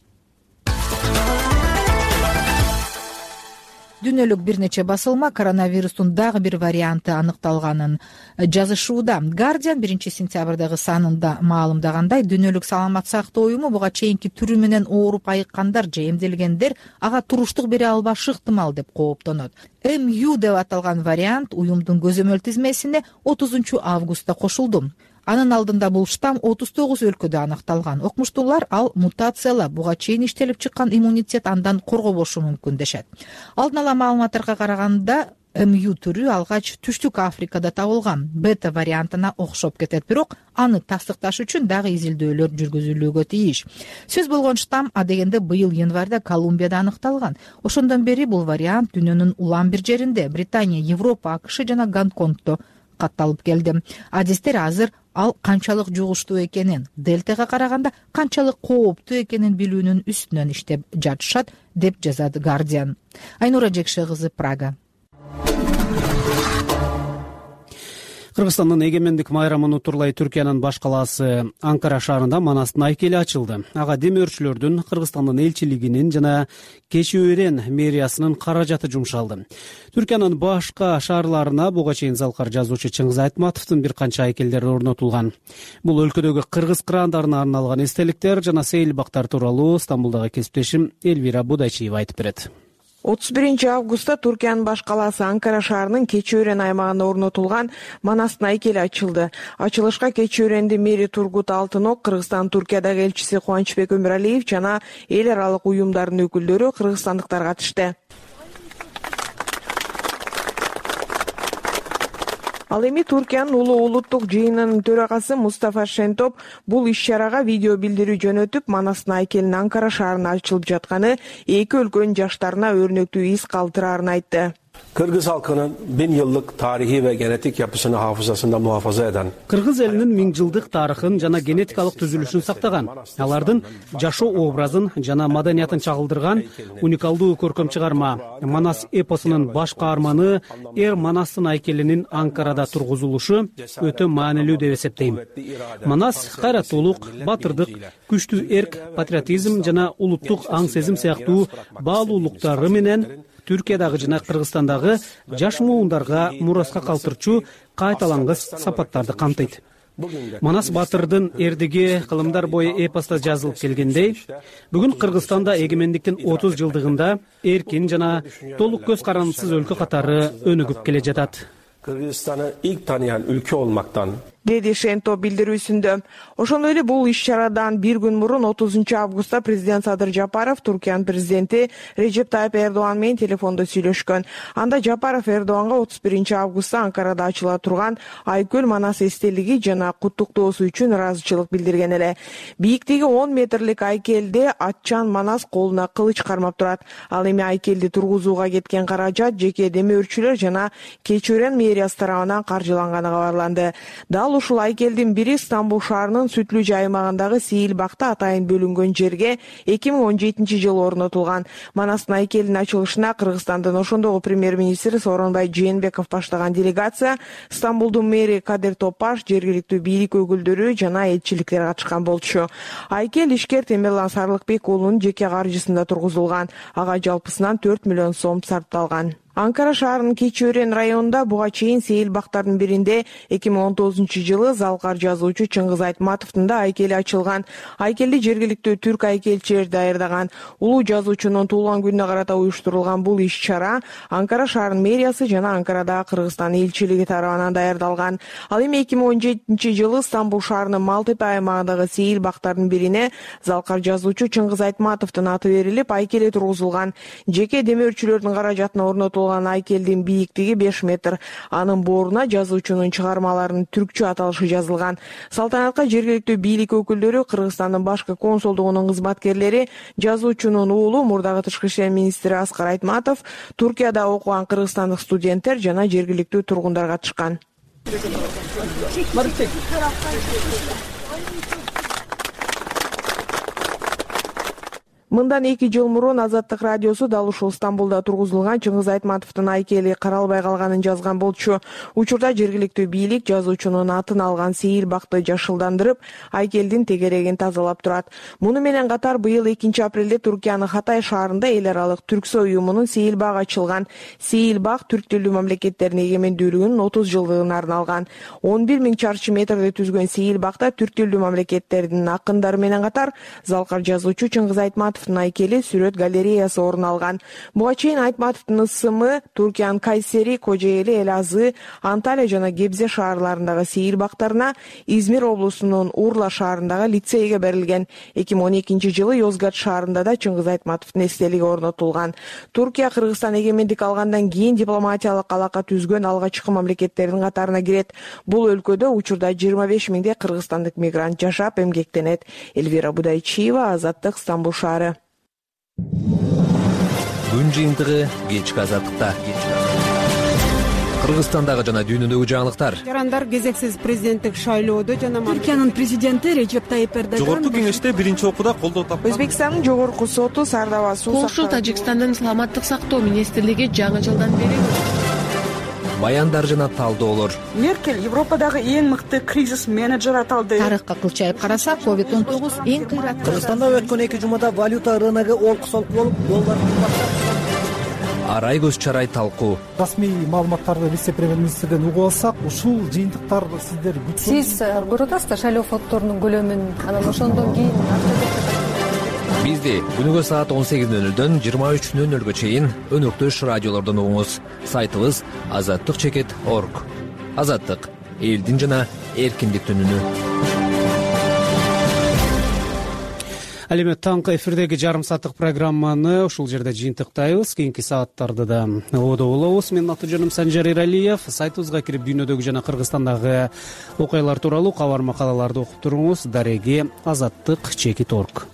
Дүйнөлүк бир нече басылма коронавирустун дагы бир варианты аныкталганын жазышууда. Guardian биринчи сентябрдагы санында маалымдагандай, Дүйнөлүк саламат сактоо уюму буга чейинки түрү менен ооруп айыккандар же эмделгендер ага туруштук бере албашы ыктымал деп кооптонот. эм ю деп аталган вариант уюмдун көзөмөл тизмесине отузунчу августта кошулду. Анын алдында бул штамм отуз тогуз өлкөдө аныкталган. Окумуштуулар ал мутациялап, буга чейин иштелип чыккан иммунитет андан коргобошу мүмкүн дешет. Алдын ала маалыматтарга караганда, эм ю түрү алгач Түштүк Африкада табылган. Бета вариантына окшоп кетет, бирок аны тастыкташ үчүн дагы изилдөөлөр жүргүзүлүүгө тийиш. Сөз болгон штамм адегенде быйыл январда Колумбияда аныкталган. Ошондон бери бул вариант дүйнөнүн улам бир жеринде, Британия, Европа, АКШ жана Гонконгдо катталып келди. Адистер азыр ал канчалык жугуштуу экенин, дельтага караганда канчалык кооптуу экенин билүүнүн үстүнөн иштеп жатышат деп жазат Guardian. Айнура Жекше кызы, Прага. Кыргызстандын эгемендик майрамын утурлай Түркиянын баш калаасы Анкара шаарында Манастын айкели ачылды. Ага демөөрчүлөрдүн, Кыргызстандын элчилигинин жана Кечиөрен мэриясынын каражаты жумшалды. Түркиянын башка шаарларына буга чейин залкар жазуучу Чыңгыз Айтматовдун бир канча айкелдери орнотулган. Бул өлкөдөгү кыргыз кыраандарына арналган эстеликтер жана сейилбактар тууралуу Стамбулдагы кесиптешим Элвира Будайчиева айтып берет. отуз биринчи августта Түркиянын баш калаасы Анкара шаарынын Кечиөрен аймагында орнотулган Манастын айкели ачылды. Ачылышка Кечиөрендин мэри Тургут Алтынок, Кыргызстан Туркиядагы элчиси Кубанычбек Өмүралиев жана эл аралык уюмдардын өкүлдөрү, кыргызстандыктар катышты. Ал эми Түркиянын улуу улуттук жыйынынын төрагасы Мустафа Шентоп бул иш-чарага видео билдирүү жөнөтүп, Манастын айкелинин Анкара шаарында ачылып жатканы эки өлкөнүн жаштарына өрнөктүү из калтырарын айтты. Kırgız halkının bin yıllık tarihi ve genetik yapısını hafızasında muhafaza eden Кыргыз элинин миң жылдык тарыхын жана генетикалык түзүлүшүн сактаган, алардын жашоо образын жана маданиятын чагылдырган уникалдуу көркөм чыгарма Манас эпосунун баш каарманы Эр Манастын айкелинин Анкарада тургузулушу өтө маанилүү деп эсептейм. Манас кайраттуулук, батырдык, күчтүү эрк, патриотизм жана улуттук аң сезим сыяктуу баалуулуктары менен Түркиядагы жана Кыргызстандагы жаш муундарга мураска калтырчу кайталангыс сапаттарды камтыйт. Манас батырдын эрдиги кылымдар бою эпоста жазылып келгендей, бүгүн Кыргызстанда эгемендиктин отуз жылдыгында эркин жана толук көз карандысыз өлкө катары өнүгүп келе жатат. Kırgızistan'ı ilk tanıyan ülke olmaktan деди Шенто билдирүүсүндө. Ошондой эле бул иш-чарадан бир күн мурун отузунчу августта президент Садыр Жапаров Туркиянын президенти Режеп Тайып Эрдоган менен телефондо сүйлөшкөн. Анда Жапаров Эрдоганга отуз биринчи августта Анкарада ачыла турган Айкөл Манас эстелиги жана куттуктоосу үчүн ыраазычылык билдирген эле. Бийиктиги он метрлик айкелде атчан Манас колуна кылыч кармап турат. Ал эми айкелди тургузууга кеткен каражат жеке демөөрчүлөр жана Кечиөрен мэриясы тарабынан каржыланганы кабарланды. Дал ушул айкелдин бири Стамбул шаарынын Сүтлүжө аймагындагы Сейил бакта атайын бөлүнгөн жерге эки миң он жетинчи жылы орнотулган. Манастын айкелдин ачылышына Кыргызстандын ошондогу премьер-министри Сооронбай Жээнбеков баштаган делегация, Стамбулдун мэри Кадыр Топаш, жергиликтүү бийлик өкүлдөрү жана элчиликтер катышкан болчу. Айкел ишкер Темирлан Сарлыкбек уулунун жеке каржысында тургузулган. Ага жалпысынан төрт миллион сом сарпталган. Анкара шаарынын Кечиөрен районунда буга чейин Сейил бактардын биринде эки миң он тогузунчу жылы залкар жазуучу Чыңгыз Айтматовдун да айкели ачылган. Айкелди жергиликтүү түрк айкелчилери даярдаган. Улуу жазуучунун туулган күнүнө карата уюштурулган бул иш-чара Анкара шаарынын мэриясы жана Анкарадагы Кыргызстан элчилиги тарабынан даярдалган. Ал эми эки миң он жетинчи жылы Стамбул шаарынын Малтепе аймагындагы Сейил бактардын бирине залкар жазуучу Чыңгыз Айтматовдун аты берилип, айкели тургузулган. Жеке демөөрчүлөрдүн каражатына орнотулган айкелдин бийиктиги беш метр. Анын бооруна жазуучунун чыгармаларынын түркчө аталышы жазылган. Салтанатка жергиликтүү бийлик өкүлдөрү, Кыргызстандын башкы консулдугунун кызматкерлери, жазуучунун уулу, мурдагы тышкы иштер министри Аскар Айтматов, Туркияда окуган кыргызстандык студенттер жана жергиликтүү тургундар катышкан. Мындан эки жыл мурун Азаттык радиосу дал ушул Стамбулда тургузулган Чыңгыз Айтматовдун айкели каралбай калганын жазган болчу. Учурда жергиликтүү бийлик жазуучунун атын алган Сейил бакты жашылдандырып, айкелдин тегерегин тазалап турат. Муну менен катар быйыл экинчи апрелде Туркиянын Хатай шаарында эл аралык Түрксой уюмунун Сейил багы ачылган. Сейил баг түрк тилдүү мамлекеттердин эгемендүүлүгүнүн отуз жылдыгына арналган. он бир миң чарчы метрди түзгөн Сейил багта түрк тилдүү мамлекеттердин акындары менен катар залкар жазуучу Чыңгыз Айтматов айкели сүрөт галереясы орун алган. Буга чейин Айтматовдун ысымы Туркиянын Кайсери, Кожоэли, Элазы, Анталия жана Гебзе шаарларындагы Сейил бактарына, Измир облусунун Урла шаарындагы лицейге берилген. эки миң он экинчи жылы Йозгат шаарында да Чыңгыз Айтматовдун эстелиги орнотулган. Туркия Кыргызстан эгемендик алгандан кийин дипломатиялык алака түзгөн алгачкы мамлекеттердин катарына кирет. Бул өлкөдө учурда жыйырма беш миңдей кыргызстандык мигрант жашап эмгектенет. Эльвира Будайчиева, Азаттык, Стамбул шаары. Күн жыйынтыгы кечки Азаттыкта. Кыргызстандагы жана дүйнөдөгү жаңылыктар. Жарандар кезексиз президенттик шайлоодо жана Түркиянын президенти Режеп Тайып Эрдоган Жогорку кеңеште биринчи окууда колдоо тапкан. Өзбекстандын жогорку соту Сардава суу Польша Тажикстандын саламаттык сактоо министрлиги жаңы жылдан бери баяндар жана талдоолор. Меркель Европадагы эң мыкты кризис менеджер аталды. Тарыхка кылчайып карасак, ковид он тогуз эң кыйраттуу. Кыргызстанда өткөн эки жумада валюта рыногу олкусолук болуп, доллар кымбаттап. Арай көз чарай талкуу. Расмий маалыматтарды вице-премьер-министрден угуп алсак, ушул жыйынтыктар сиздер Сиз көрүп атасыздар шайлоо фонддорунун көлөмүн, анан ошондон кийин Бизди күнүгө саат он сегиз нөл нөлдөн жыйырма үч нөл нөлгө чейин өнөктөш радиолордон угуңуз. Сайтыбыз азаттык чекит точка орг. Азаттык — элдин жана эркиндиктин үнү. Ал эми таңкы эфирдеги жарым сааттык программаны ушул жерде жыйынтыктайбыз. Кийинки сааттарды да ободо болобуз. Менин аты жөнүм Санжар Иралиев. Сайтыбызга кирип дүйнөдөгү жана Кыргызстандагы окуялар тууралуу кабар макалаларды окуп туруңуз. Дареги азаттык чекит точка орг.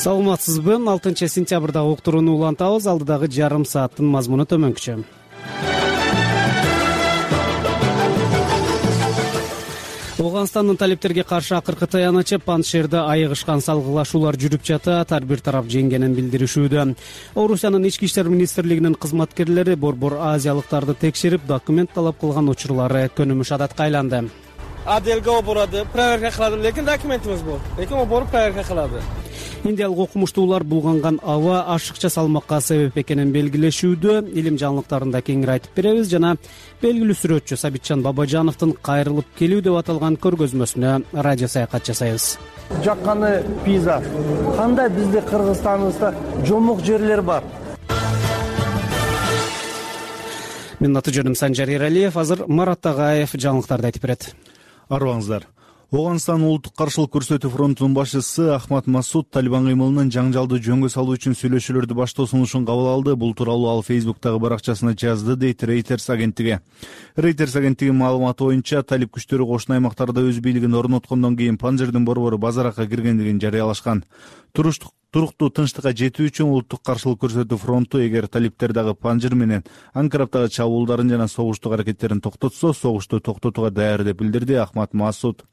саламатсызбы? алтынчы сентябрда уктурууну улантабыз. Алдыдагы жарым сааттын мазмуну төмөнкүчө. Ооганстандын талептерге каршы акыркы таянычы Паншерде айыгышкан салгылашуулар жүрүп жатат. Ар бир тарап жеңгенин билдиришүүдө. Орусиянын ички иштер министрлигинин кызматкерлери борбор азиялыктарды текшерип, документ талап кылган учурлары көнүмүш адатка айланды. Отделге борады, проверка кылады, лекин документибиз бор. Лекин о боруп проверка кылады. Индиялык окумуштуулар булганган аба ашыкча салмакка себеп экенин белгилешүүдө. Илим жаңылыктарында кеңири айтып беребиз жана белгилүү сүрөтчү Сабитжан Бабажановдун кайрылып келүү деп аталган көргөзмөсүнө радио саякат жасайбыз. Жакканы пейзаж. Кандай бизде Кыргызстаныбызда жомок жерлер бар. Менин аты жөнүм Санжар Эралиев. Азыр Марат Тагаев жаңылыктарды айтып берет. Арыбаңыздар. Ооганстан улуттук каршылык көрсөтүү фронтунун башчысы Ахмад Масуд Талибан кыймылынын жаңжалды жөнгө салуу үчүн сүйлөшүүлөрдү баштоо сунушун кабыл алды. Бул тууралуу ал Фейсбуктагы баракчасына жазды, дейт Reuters агенттиги. Reuters агенттигинин маалыматы боюнча, талиб күчтөрү кошуна аймактарда өз бийлигин орноткондон кийин Панжердин борбору базаракка киргендигин жарыялашкан. Туруктуу тынчтыкка жетүү үчүн улуттук каршылык көрсөтүү фронту эгер талиптер дагы Панжер менен Анкараптагы чабуулдарын жана согуштук аракеттерин токтотсо, согушту токтотууга даяр деп билдирди Ахмад Масуд.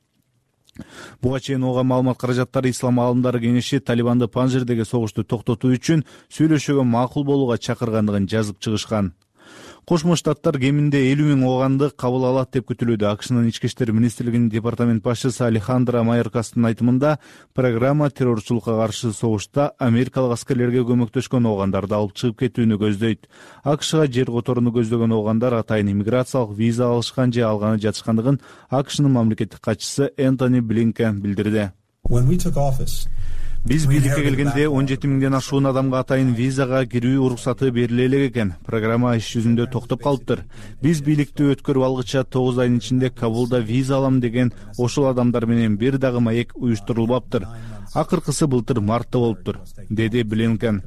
Буга чейин оога маалымат каражаттары Ислам аалымдары кеңеши Талибанды Панжердеги согушту токтотуу үчүн сүйлөшүүгө макул болууга чакыргандыгын жазып чыгышкан. Кошмо Штаттар кеминде элүү миң ооганды кабыл алат деп күтүлүүдө. АКШнын ички иштер министрлигинин департамент башчысы Алехандро Майоркастын айтымында, программа террорчулукка каршы согушта америкалык аскерлерге көмөктөшкөн оогандарды алып чыгып кетүүнү көздөйт. АКШга жер которууну көздөгөн оогандар атайын иммиграциялык виза алышкан же алганы жатышкандыгын АКШнын мамлекеттик катчысы Энтони Блинкен билдирди. Биз бийликке келгенде он жети миңден ашуун адамга атайын визага кирүү уруксаты бериле элек экен. Программа иш жүзүндө токтоп калыптыр. Биз бийликти өткөрүп алгыча тогуз айдын ичинде Кабулда виза алам деген ошол адамдар менен бир дагы маек уюштурулбаптыр. Акыркысы былтыр мартта болуптур, деди Блинкен.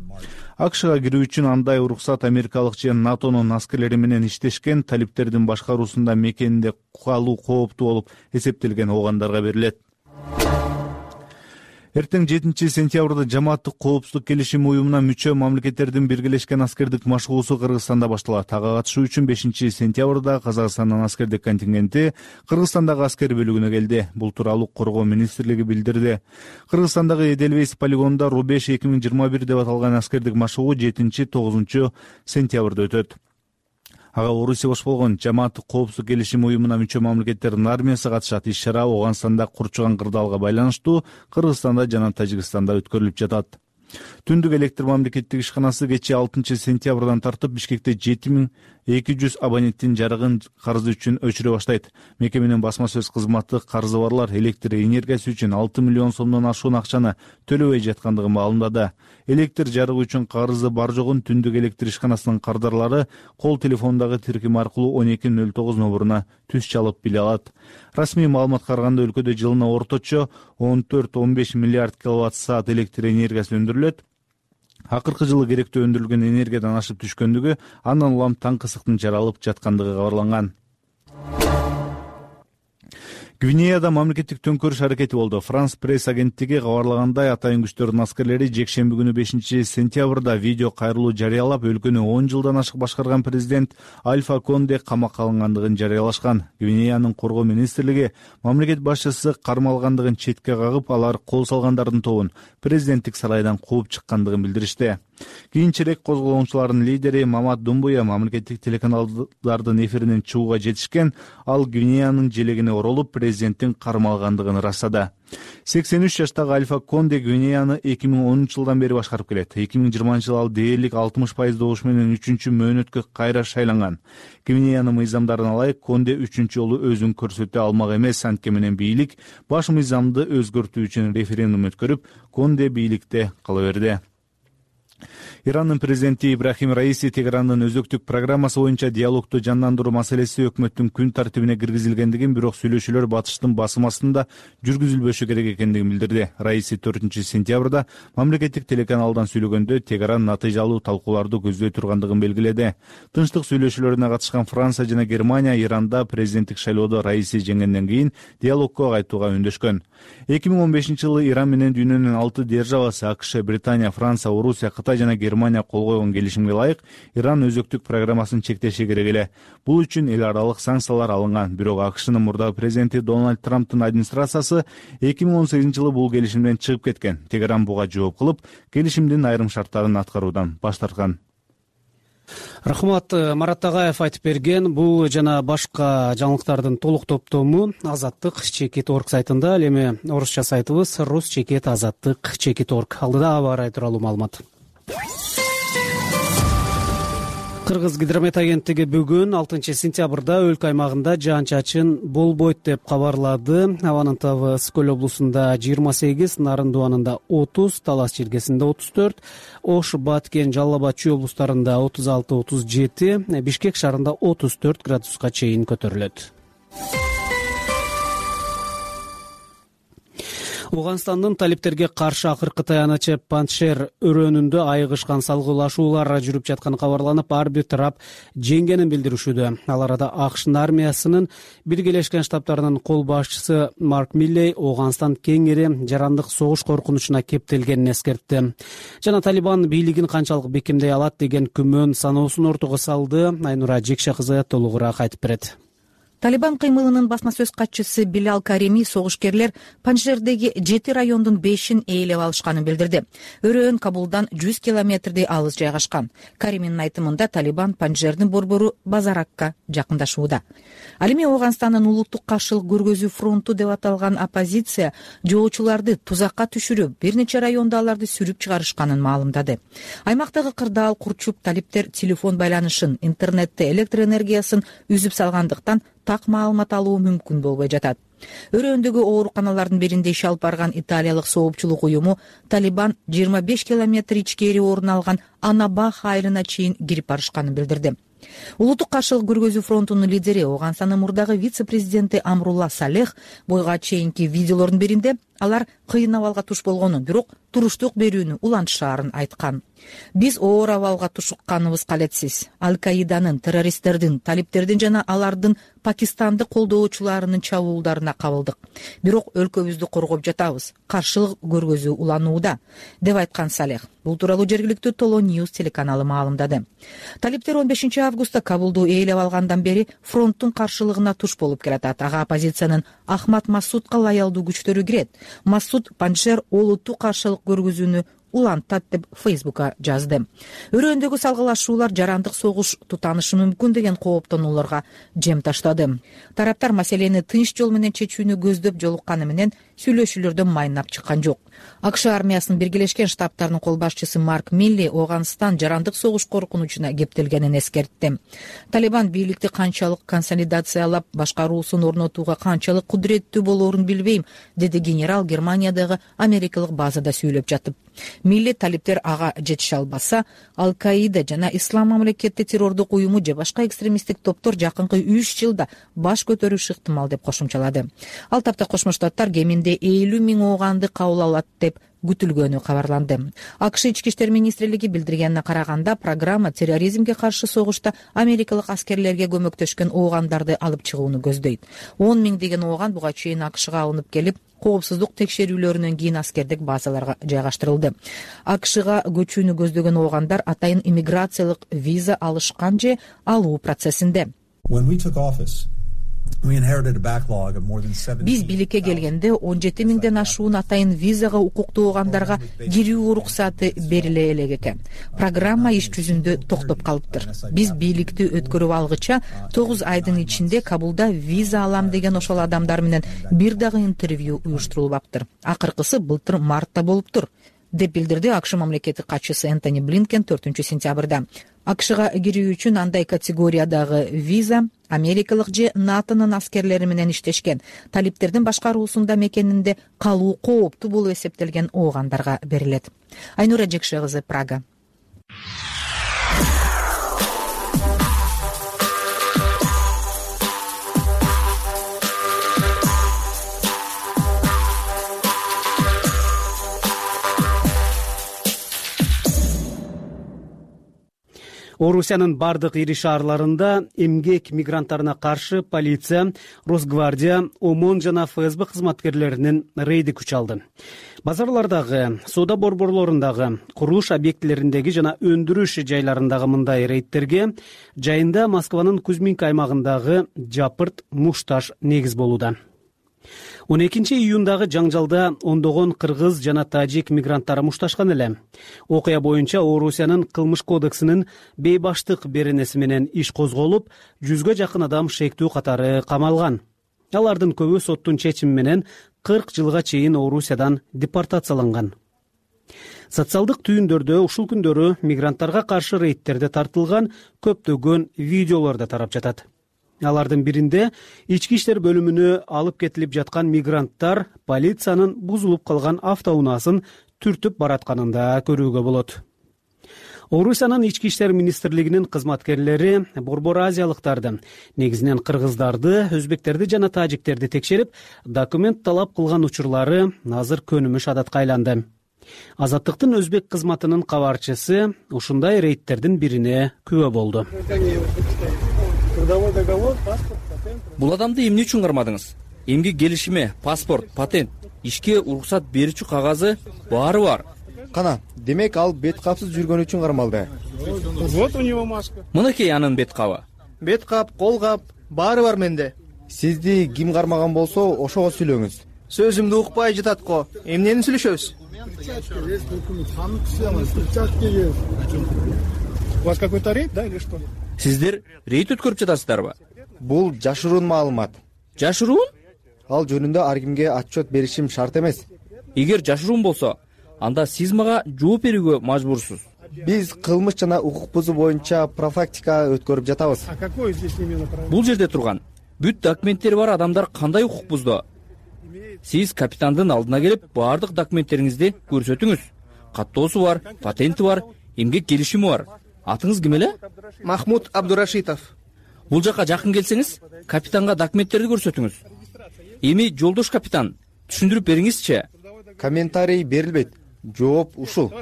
АКШга кирүү үчүн андай уруксат америкалык же НАТОнун аскерлери менен иштешкен талиптердин башкаруусунда мекенинде калуу кооптуу болуп эсептелген оогандарга берилет. Эртең жетинчи сентябрда жамааттык коопсуздук келишими уюмуна мүчө мамлекеттердин биргелешкен аскердик машыгуусу Кыргызстанда башталат. Ага катышуу үчүн бешинчи сентябрда Казакстандын аскердик контингенти Кыргызстандагы аскер бөлүгүнө келди. Бул тууралуу Коргоо министрлиги билдирди. Кыргызстандагы Эделвейс полигонунда Рубеж эки миң жыйырма бир деп аталган аскердик машыгуу жетинчи тогузунчу сентябрда өтөт. Ага Орусия бош болгон жамааттык коопсуздук келишими уюмуна мүчө мамлекеттердин армиясы катышат. Иш-чара Ооганстанда курчуган кырдаалга байланыштуу Кыргызстанда жана Тажикстанда өткөрүлүп жатат. Түндүк электр мамлекеттик ишканасы кечээ алтынчы сентябрдан тартып Бишкекте жети миң эки жүз абоненттин жарыгын карызы үчүн өчүрө баштайт. Мекеменин басма сөз кызматы карызы барлар электр энергиясы үчүн алты миллион сомдон ашуун акчаны төлөбөй жаткандыгын маалымдады. Электр жарыгы үчүн карызы бар жогун түндүк электр ишканасынын кардарлары кол телефондагы тиркем аркылуу он эки нөл тогуз номуруна түз чалып биле алат. Расмий маалыматка караганда өлкөдө жылына орточо он төрт он беш миллиард киловатт саат электр энергиясы өндүрүлөт. Акыркы жылы керектүү өндүрүлгөн энергиядан ашып түшкөндүгү, андан улам таңкы ысыктын жаралып жаткандыгы кабарланган. Гвинеяда мамлекеттик төңкөрүш аракети болду. Франс пресс агенттиги кабарлагандай, атайын күчтөрдүн аскерлери жекшемби күнү бешинчи сентябрда видео кайрылуу жарыялап, өлкөнү он жылдан ашык башкарган президент Альфа Конде камакка алынгандыгын жарыялашкан. Гвинеянын коргоо министрлиги мамлекет башчысы кармалгандыгын четке кагып, алар кол салгандардын тобун президенттик сарайдан кууп чыккандыгын билдиришти. Кийинчерээк козголоочулардын лидери Мамат Думбуя мамлекеттик телеканалдардын эфиринен чыгууга жетишкен, ал Гвинеянын желегине оролуп, президенттин кармалгандыгын ырастады. сексен үч жаштагы Альфа Конде Гвинеяны эки миң онунчу жылдан бери башкарып келет. эки миң жыйырманчы жылы ал дээрлик алтымыш пайыз добуш менен үчүнчү мөөнөткө кайра шайланган. Гвинеянын мыйзамдарына ылайык Конде үчүнчү жолу өзүн көрсөтө алмак эмес. Анткени менен бийлик баш мыйзамды өзгөртүү үчүн референдум өткөрүп, Конде бийликте кала берди. Ирандын президенти Ибрахим Раиси Тегерандын өзөктүк программасы боюнча диалогду жандандыруу маселеси өкмөттүн күн тартибине киргизилгендигин, бирок сүйлөшүүлөр батыштын басым астында жүргүзүлбөшү керек экендигин билдирди. Раиси төртүнчү сентябрда мамлекеттик телеканалдан сүйлөгөндө Тегеран натыйжалуу талкууларды көздөй тургандыгын белгиледи. Тынчтык сүйлөшүүлөрүнө катышкан Франция жана Германия Иранда президенттик шайлоодо Раиси жеңгенден кийин диалогко кайтууга үндөшкөн. эки миң он бешинчи жылы Иран менен дүйнөнүн алты державасы АКШ, Британия, Франция, Орусия, Кытай жана Германия кол койгон келишимге ылайык Иран өзөктүк программасын чектеши керек эле. Бул үчүн эл аралык санкциялар алынган. Бирок АКШнын мурдагы президенти Дональд Трамптын администрациясы эки миң он сегизинчи жылы бул келишимден чыгып кеткен. Тегеран буга жооп кылып, келишимдин айрым шарттарын аткаруудан баш тарткан. Рахмат. Марат Тагаев айтып берген. Бул жана башка жаңылыктардын толук топтому Азаттык чекит орг сайтында, ал эми орусча сайтыбыз рус чекит азаттык чекит орг. Алдыда аба ырайы тууралуу маалымат. Кыргыз гидромет агенттиги бүгүн алтынчы сентябрда өлкө аймагында жаан-чачын болбойт деп кабарлады. Абанын табы Скөл облусунда жыйырма сегиз, Нарын дуанында отуз, Талас чиркесинде отуз төрт, Ош, Баткен, Жалал Абад, Чүй облустарында отуз алты отуз жети, Бишкек шаарында отуз төрт градуска чейин көтөрүлөт. Ооганстандын талиптерге каршы акыркы таянычы Паншер өрөөнүндө айыгышкан салгылашуулар жүрүп жатканы кабарланып, ар бир тарап жеңгенин билдиришүүдө. Ал арада АКШнын армиясынын Биргелешкен Штаттарынын кол башчысы Марк Миллей Ооганстан кеңири жарандык согуш коркунучуна кептелгенин эскертти. Жана Талибан бийлигин канчалык бекемдей алат деген күмөн саноосун ортого салды. Айнура Жекше кызы толугураак айтып берет. Талибан кыймылынын басма сөз катчысы Билал Карими согушкерлер Панжшердеги жети райондун бешин ээлеп алышканын билдирди. Өрөөн Кабулдан жүз километрдей алыс жайгашкан. Кариминин айтымында Талибан Панжшердин борбору Базаракка жакындашууда. Ал эми Ооганстандын улуттук каршылык көргөзүү фронту деп аталган оппозиция жоочуларды тузакка түшүрүп, бир нече райондо аларды сүрүп чыгарышканын маалымдады. Аймактагы кырдаал курчуп, талиптер телефон байланышын, интернетти, электр энергиясын үзүп салгандыктан так маалымат алуу мүмкүн болбой жатат. Өрөөндөгү ооруканалардын биринде иш алып барган италиялык соопчулук уюму Талибан жыйырма беш километр ичкери орун алган Анабах айылына чейин кирип барышканын билдирди. Улуттук каршылык көргөзүү фронтунун лидери Ооганстандын мурдагы вице-президенти Амрулла Салех бойга чейинки видеолордун биринде алар кыйын абалга туш болгонун, бирок туруштук берүүнү улантышаарын айткан. Биз оор абалга тушукканыбыз калетсиз. Аль-Каиданын, террористтердин, талиптердин жана алардын Пакистандык колдоочуларынын чабуулдарына кабылдык. Бирок өлкөбүздү коргоп жатабыз. Каршылык көргөзүү уланууда, деп айткан Салех. Бул тууралуу жергиликтүү Толо Ньюс телеканалы маалымдады. Талиптер он бешинчи августта Кабулду ээлеп алгандан бери фронттун каршылыгына туш болуп келатат. Ага оппозициянын Ахмад Масудка лаялдуу күчтөрү кирет. Масуд Панжшер олуттук каршылык көргөзүүнү улантат деп Фейсбукка жазды. Өрөөндөгү салгылашуулар жарандык согуш тутанышы мүмкүн деген кооптонууларга жем таштады. Тараптар маселени тынч жол менен чечүүнү көздөп жолукканы менен сүйлөшүүлөрдөн майнап чыккан жок. АКШ армиясынын Биргелешкен Штаттарынын кол башчысы Марк Милли Ооганстан жарандык согуш коркунучуна кептелгенин эскертти. Талибан бийликти канчалык консолидациялап, башкаруусун орнотууга канчалык кудуреттүү болоорун билбейм, деди генерал Германиядагы америкалык базада сүйлөп жатып. Милли талиптер ага жетише албаса, Аль-Каида жана Ислам мамлекети террордук уюму же башка экстремисттик топтор жакынкы үч жылда баш көтөрүшү ыктымал деп кошумчалады. Ал тапта Кошмо Штаттар кеминде элүү миң ооганды кабыл алат деп күтүлгөнү кабарланды. АКШ ички иштер министрлиги билдиргенине караганда, программа терроризмге каршы согушта америкалык аскерлерге көмөктөшкөн оогандарды алып чыгууну көздөйт. он миңдеген ооган буга чейин АКШга алынып келип, коопсуздук текшерүүлөрүнөн кийин аскердик базаларга жайгаштырылды. АКШга көчүүнү көздөгөн оогандар атайын иммиграциялык виза алышкан же алуу процессинде. Биз бийликке келгенде он жети миңден ашуун атайын визага укуктуу оогандарга кирүү уруксаты бериле элек экен. Программа иш жүзүндө токтоп калыптыр. Биз бийликти өткөрүп алгыча тогуз айдын ичинде Кабулда виза алам деген ошол адамдар менен бир дагы интервью уюштурулбаптыр. Акыркысы былтыр мартта болуптур, деп билдирди АКШ мамлекеттик катчысы Энтони Блинкен төртүнчү сентябрда. АКШга кирүү үчүн андай категориядагы виза америкалык же НАТОнун аскерлери менен иштешкен, талиптердин башкаруусунда мекенинде калуу кооптуу болуп эсептелген оогандарга берилет. Айнура Жекше кызы, Прага. Орусиянын бардык ири шаарларында эмгек мигранттарына каршы полиция, Росгвардия, ОМОН жана ФСБ кызматкерлеринин рейди күч алды. Базарлардагы, соода борборлорундагы, курулуш объектилериндеги жана өндүрүш жайларындагы мындай рейдтерге жайында Москванын Кузьминка аймагындагы Жапырт, Мушташ негиз болууда. он экинчи июндагы жаңжалда ондогон кыргыз жана тажик мигранттары мушташкан эле. Окуя боюнча Орусиянын кылмыш кодексинин бейбаштык беренеси менен иш козголуп, жүзгө жакын адам шектүү катары камалган. Алардын көбү соттун чечими менен кырк жылга чейин Орусиядан депортацияланган. Социалдык түйүндөрдө ушул күндөрү мигранттарга каршы рейдтерде тартылган көптөгөн видеолор да тарап жатат. Алардын биринде ички иштер бөлүмүнө алып кетилип жаткан мигранттар полициянын бузулуп калган автоунаасын түртүп баратканын да көрүүгө болот. Орусиянын ички иштер министрлигинин кызматкерлери Борбор азиялыктарды, негизинен кыргыздарды, өзбектерди жана тажиктерди текшерип, документ талап кылган учурлары азыр көнүмүш адатка айланды. Азаттыктын өзбек кызматынын кабарчысы ушундай рейдтердин бирине күбө болду. Бул адамды эмне үчүн кармадыңыз? Эмгек келишими, паспорт, патент, ишке уруксат берүүчү кагазы баары бар. Кана, демек ал бет капсыз жүргөн үчүн кармалды. Вот у него маска. Мынакей анын бет кабы. Бет кап, кол кап, баары бар менде. Сизди ким кармаган болсо, ошого сүйлөңүз. Сөзүмдү укпай жатат го. Эмнени сүйлөшөбүз? У вас какой-то рейд, да, или что? Сиздер рейд өткөрүп жатасыздарбы? Бул жашыруун маалымат. Жашыруун? Ал жөнүндө ар кимге отчет беришим шарт эмес. Эгер жашыруун болсо, анда сиз мага жооп берүүгө мажбурсуз. Биз кылмыш жана укук бузуу боюнча профилактика өткөрүп жатабыз. А какой здесь именно профилактика? Бул жерде турган бүт документтери бар адамдар кандай укук бузду? Сиз капитандын алдына келип, баардык документтериңизди көрсөтүңүз. Каттоосу бар, патенти бар, эмгек келишими бар. Атыңыз ким эле? Махмуд Абдурашитов. Бул жака жакын келсеңиз, капитанга документтерди көрсөтүңүз. Эми жолдош капитан, түшүндүрүп бериңизчи. Комментарий берилбейт. Жооп ушул.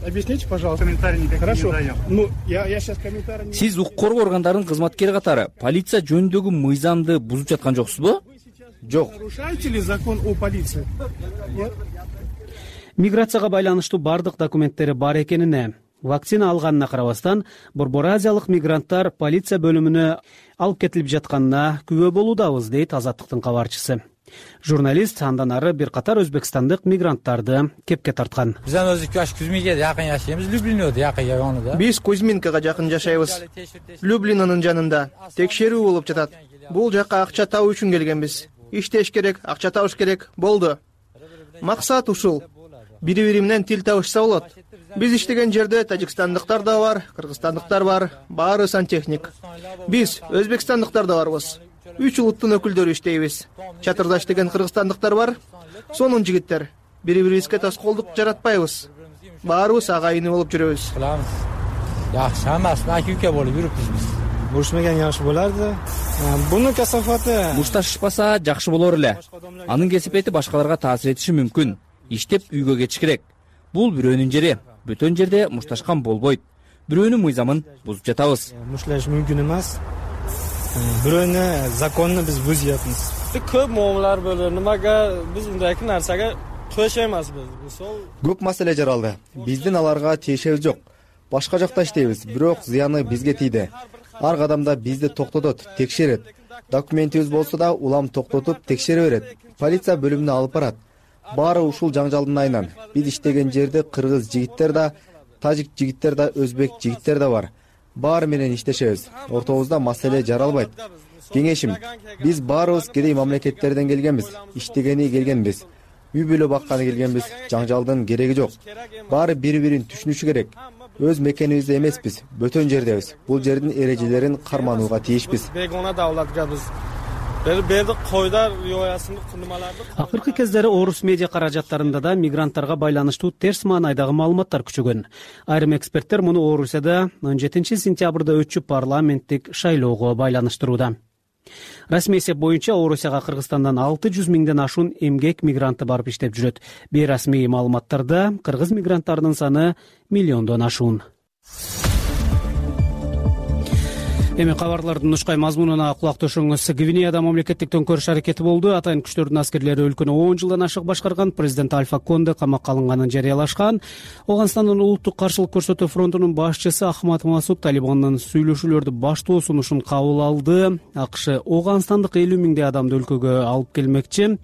Объясните, пожалуйста. Комментарий никаких не даём. Ну, я я сейчас комментарий. Сиз укук коргоо органдарынын кызматкери катары полиция жөнүндөгү мыйзамды бузуп жаткан жоксузбу? Жок. Нарушаете ли закон о полиции? Нет. Миграцияга байланыштуу бардык документтери бар экенине, вакцина алганына карабастан, Борбор азиялык мигранттар полиция бөлүмүнө алып кетилип жатканына күбө болуудабыз, дейт Азаттыктын кабарчысы. Журналист андан ары бир катар өзбекстандык мигранттарды кепке тарткан. Биз өзү Кузьминкеде жакын жашайбыз, Люблинде жакын жагында. Биз Кузьминкага жакын жашайбыз. Люблинанын жанында текшерүү болуп жатат. Бул жакка акча табуу үчүн келгенбиз. Иштеш керек, акча табыш керек, болду. Максат ушул. Бири-бири менен тил табышса болот. Биз иштеген жерде тажикстандыктар да бар, кыргызстандыктар бар, баары сантехник. Биз өзбекстандыктар да барбыз. Үч улуттун өкүлдөрү иштейбиз. Чатырдаш деген кыргызстандыктар бар, сонун жигиттер. Бири-бирибизге тоскоолдук жаратпайбыз. Баарыбыз агайыны болуп жүрөбүз. Жакшы эмес, акүйкө болуп жүрүпбүз биз. Урушмаган жакшы боларды. Буну касафаты. Мушташышпаса жакшы болор эле. Анын кесипети башкаларга таасир этиши мүмкүн. Иштеп үйгө кетиш керек. Бул бирөөнүн жери. Бүтөн жерде мушташкан болбойт. Бирөөнүн мыйзамын бузуп жатабыз. Мушташ мүмкүн эмес. Бирөөнү законну биз бузуп жатабыз. Көп муамалар болду. Немага биз мындай нерсеге төшөйбүз. Көп маселе жаралды. Биздин аларга тиешебиз жок. Башка жакта иштейбиз, бирок зыяны бизге тийди. Ар кадамда бизди токтотот, текшерет. Документибиз болсо да улам токтотуп текшере берет. Полиция бөлүмүнө алып барат. Баары ушул жаңжалдын айынан. Биз иштеген жерде кыргыз жигиттер да, тажик жигиттер да, өзбек жигиттер да бар. Баары менен иштешебиз. Ортобузда маселе жаралбайт. Кеңешим, биз баарыбыз кедей мамлекеттерден келгенбиз, иштегени келгенбиз. Үй бүлө бакканы келгенбиз, жаңжалдын кереги жок. Баары бири-бирин түшүнүшү керек. Өз мекенибизде эмеспиз, бөтөн жердебиз. Бул жердин эрежелерин карманууга тийишпиз. Бегона давлатка биз бердик койдар рioyasынын кунумаларды. Акыркы кездери орус медиа каражаттарында да мигранттарга байланыштуу терс маанайдагы маалыматтар күчөгөн. Айрым эксперттер муну Орусияда он жетинчи сентябрда өтчү парламенттик шайлоого байланыштырууда. Расмий эсеп боюнча Орусияга Кыргызстандан алты жүз миңден ашуун эмгек мигранты барып иштеп жүрөт. Бейрасмий маалыматтарда кыргыз мигранттарынын саны миллиондон ашуун. Эми кабарлардын нушкай мазмунуна кулак төшөңүз. Гвинеяда мамлекеттик төңкөрүш аракети болду. Атайын күчтөрдүн аскерлери өлкөнү он жылдан ашык башкарган президент Альфа Конде камакка алынганын жарыялашкан. Оганстандын улуттук каршылык көрсөтүү фронтунун башчысы Ахмад Масуд Талибандын сүйлөшүүлөрдү баштоо сунушун кабыл алды. АКШ Оганстандык элүү миңдей адамды өлкөгө алып келмекчи.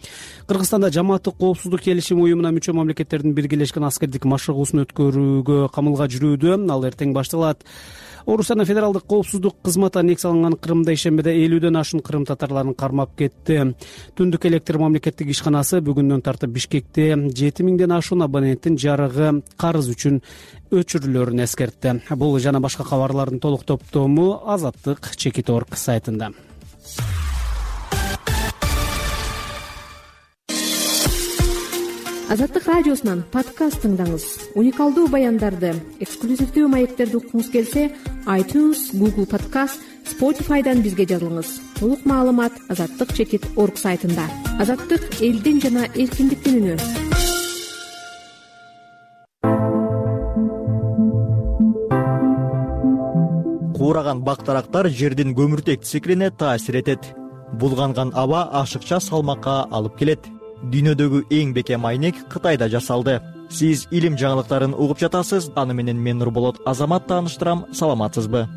Кыргызстанда жамааттык коопсуздук келишими уюмуна мүчө мамлекеттердин биргелешкен аскердик машыгуусун өткөрүүгө камылга жүрүүдө. Ал эртең башталат. Орусиянын федералдык коопсуздук кызматы аннекс алынган Крымда ишембеде элүүдөн ашуун кырым татарларын кармап кетти. Түндүк электр мамлекеттик ишканасы бүгүндөн тартып Бишкекте жети миңден ашуун абоненттин жарыгы карыз үчүн өчүрүлөрүн эскертти. Бул жана башка кабарлардын толук топтому азаттык чекит точка орг сайтында. Азаттык радиосунан подкаст тыңдаңыз. Уникалдуу баяндарды, эксклюзивдүү маектерди уккуңуз келсе, iTunes, Google Podcast, Spotify'дан бизге жазылыңыз. Толук маалымат азаттык чекит точка орг сайтында. Азаттык элдин жана эркиндиктин үнү. Куураган бактарактар жердин көмүртек циклине таасир этет. Булганган аба ашыкча салмакка алып келет. Дүйнөдөгү эң бекем айнек Кытайда жасалды. Сиз илим жаңылыктарын угуп жатасыз. Аны менен мен Нурболот Азамат тааныштырам. Саламатсызбы?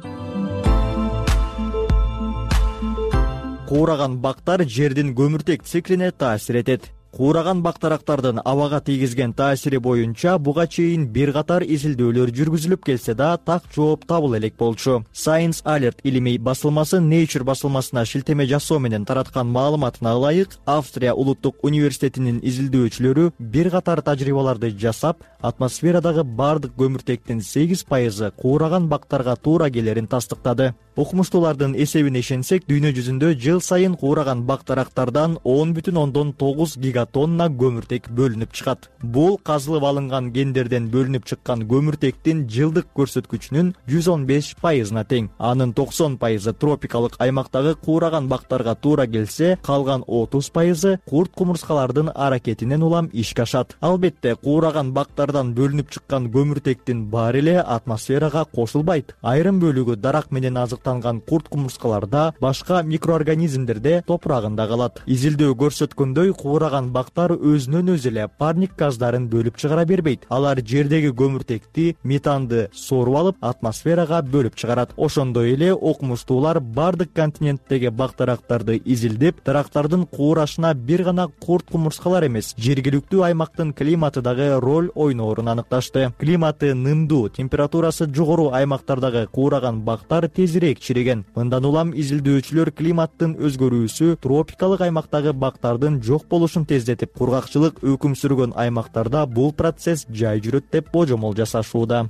Куураган бактар жердин көмүртек циклине таасир этет. Куураган бактарактардын абага тийгизген таасири боюнча буга чейин бир катар изилдөөлөр жүргүзүлүп келсе да, так жооп табыла элек болчу. Science Alert илимий басылмасы Nature басылмасына шилтеме жасоо менен тараткан маалыматына ылайык, Австрия улуттук университетинин изилдөөчүлөрү бир катар тажрыйбаларды жасап, атмосферадагы бардык көмүртектин сегиз пайызы куураган бактарга туура келерин тастыктады. Окумуштуулардын эсебине ишенсек, дүйнө жүзүндө жыл сайын куураган бактарактардан он бүтүн ондон тогуз гигатонна көмүртек бөлүнүп чыгат. Бул казылып алынган гендерден бөлүнүп чыккан көмүртектин жылдык көрсөткүчүнүн жүз он беш пайызына тең. Анын токсон пайызы тропикалык аймактагы куураган бактарга туура келсе, калган отуз пайызы курт кумурскалардын аракетинен улам ишке ашат. Албетте, куураган бактардан бөлүнүп чыккан көмүртектин баары эле атмосферага кошулбайт. Айрым бөлүгү дарак менен азыктанган курт кумурскаларда, башка микроорганизмдерде топурагында калат. Изилдөө көрсөткөндөй, куураган бактар өзүнөн өзү эле парник газдарын бөлүп чыгара бербейт. Алар жердеги көмүртекти, метанды соруп алып, атмосферага бөлүп чыгарат. Ошондой эле окумуштуулар бардык континенттеги бактарактарды изилдеп, дарактардын куурашына бир гана курт кумурскалар эмес, жергиликтүү аймактын климаты дагы роль ойноорун аныкташты. Климаты нымдуу, температурасы жогору аймактардагы куураган бактар тезирээк чиреген. Мындан улам изилдөөчүлөр климаттын өзгөрүүсү тропикалык аймактагы бактардын жок болушун тездетип, кургакчылык өкүм сүргөн аймактарда бул процесс жай жүрөт деп божомол жасашууда.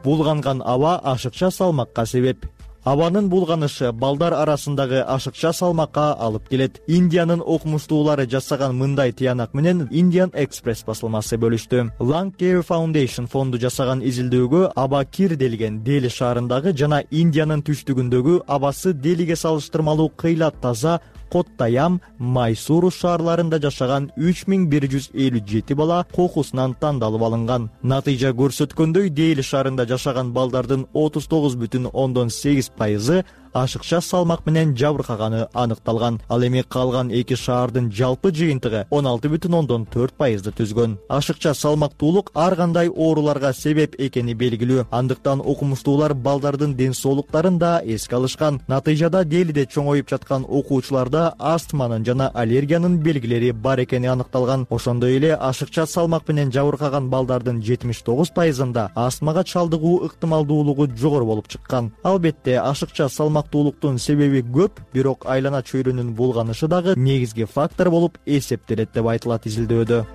Булганган аба ашыкча салмакка себеп. Абанын булганышы балдар арасындагы ашыкча салмакка алып келет. Индиянын окумуштуулары жасаган мындай тыянак менен Indian Express басылмасы бөлүштү. Lung Care Foundation фонду жасаган изилдөөгө аба Кир делген Дели шаарындагы жана Индиянын түштүгүндөгү абасы Делиге салыштырмалуу кыйлат таза Коттаям, Майсуру шаарларында жашаган үч миң бир жүз элүү жети бала кокусунан тандалып алынган. Натыйжа көрсөткөндөй, Дели шаарында жашаган балдардын отуз тогуз бүтүн ондон сегиз пайызы ашыкча салмак менен жабыркаганы аныкталган. Ал эми калган эки шаардын жалпы жыйынтыгы он алты бүтүн ондон төрт пайызды түзгөн. Ашыкча салмактуулук ар кандай ооруларга себеп экени белгилүү. Андыктан окумуштуулар балдардын ден соолуктарын да эске алышкан. Натыйжада Делиде чоңоюп жаткан окуучуларда астманын жана аллергиянын белгилери бар экени аныкталган. Ошондой эле ашыкча салмак менен жабыркаган балдардын жетимиш тогуз пайызында астмага чалдыгуу ыктымалдуулугу жогору болуп чыккан. Албетте, ашыкча салмак Туулуктун себеби көп, бирок айлана чөйрөнүн булганышы дагы негизги фактор болуп эсептелет деп айтылат изилдөөдө.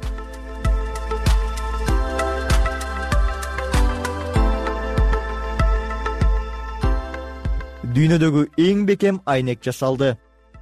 дүйнөдөгү эң бекем айнек жасалды.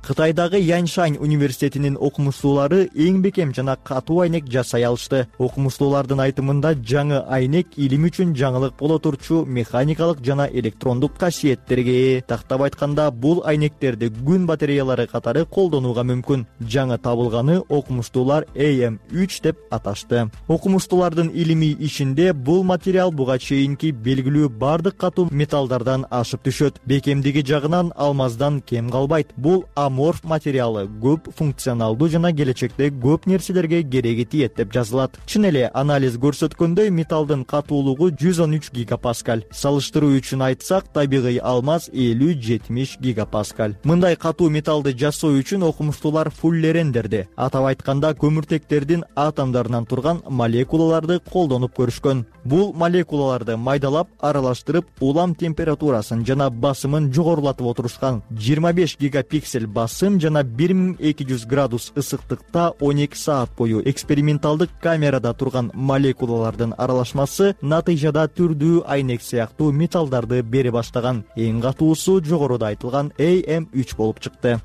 Кытайдагы Яньшань университетинин окумуштуулары эң бекем жана катуу айнек жасай алышты. Окумуштуулардын айтымында жаңы айнек илим үчүн жаңылык боло турчу механикалык жана электрондук касиеттерге ээ. Тактап айтканда, бул айнектерди күн батареялары катары колдонууга мүмкүн. Жаңы табылганы окумуштуулар А М үч деп аташты. Окумуштуулардын илимий ишинде бул материал буга чейинки белгилүү бардык катуу металлдардан ашып түшөт. Бекемдиги жагынан алмаздан кем калбайт. Бул аморф материалы көп функционалдуу жана келечекте көп нерселерге кереги тиет деп жазылат. Чын эле анализ көрсөткөндөй, металлдын катуулугу жүз он үч гигапаскаль. Салыштыруу үчүн айтсак, табигый алмаз элүү жетимиш гигапаскаль. Мындай катуу металлды жасоо үчүн окумуштуулар фуллерендерди, атап айтканда көмүртектердин атомдорунан турган молекулаларды колдонуп көрүшкөн. Бул молекулаларды майдалап, аралаштырып, улам температурасын жана басымын жогорулатып отурушкан. жыйырма беш гигапиксель басым жана бир миң эки жүз градус ысыктыкта он эки саат бою эксперименталдык камерада турган молекулалардын аралашмасы натыйжада түрдүү айнек сыяктуу металлдарды бере баштаган. Эң катуусу жогоруда айтылган А М үч болуп чыкты.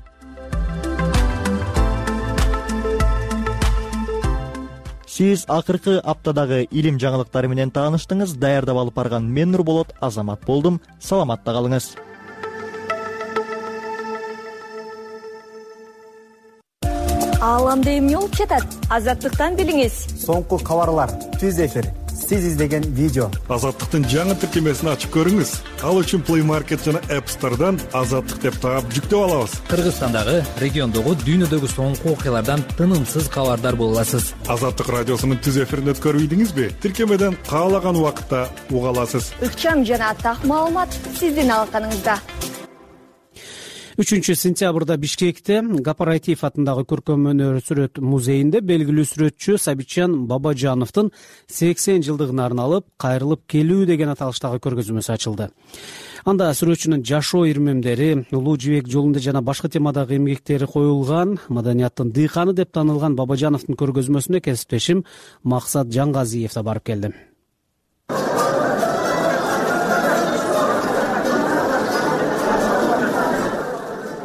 Сиз акыркы аптадагы илим жаңылыктары менен тааныштыңыз. Даярдап алып барган мен Нурболот Азамат болдум. Саламатта калыңыз. Ааламда эмне болуп жатат? Азаттыктан билиңиз. Соңку кабарлар, түз эфир, сиз издеген видео. Азаттыктын жаңы тиркемесин ачып көрүңүз. Ал үчүн Play Market жана App Store'дан Азаттык деп таап жүктөп алабыз. Кыргызстандагы, региондогу, дүйнөдөгү соңку окуялардан тынымсыз кабардар боло аласыз. Азаттык радиосунун түз эфирин өткөрбөйдүңүзбү? Тиркемеден каалаган убакытта уга аласыз. Ыкчам жана так маалымат сиздин алаканыңызда. үчүнчү сентябрда Бишкекте Кооператив атындагы көркөм өнөр сүрөт музейинде белгилүү сүрөтчү Сабитжан Бабажановдун сексен жылдыгына арналып кайрылып келүү деген аталыштагы көргөзмөсү ачылды. Анда сүрөтчүнүн жашоо ирмемдери, улуу жибек жолунда жана башка темадагы эмгектери коюлган, маданияттын дыйканы деп танылган Бабажановдун көргөзмөсүнө кесиптешим Максат Жаңгазиев да барып келди.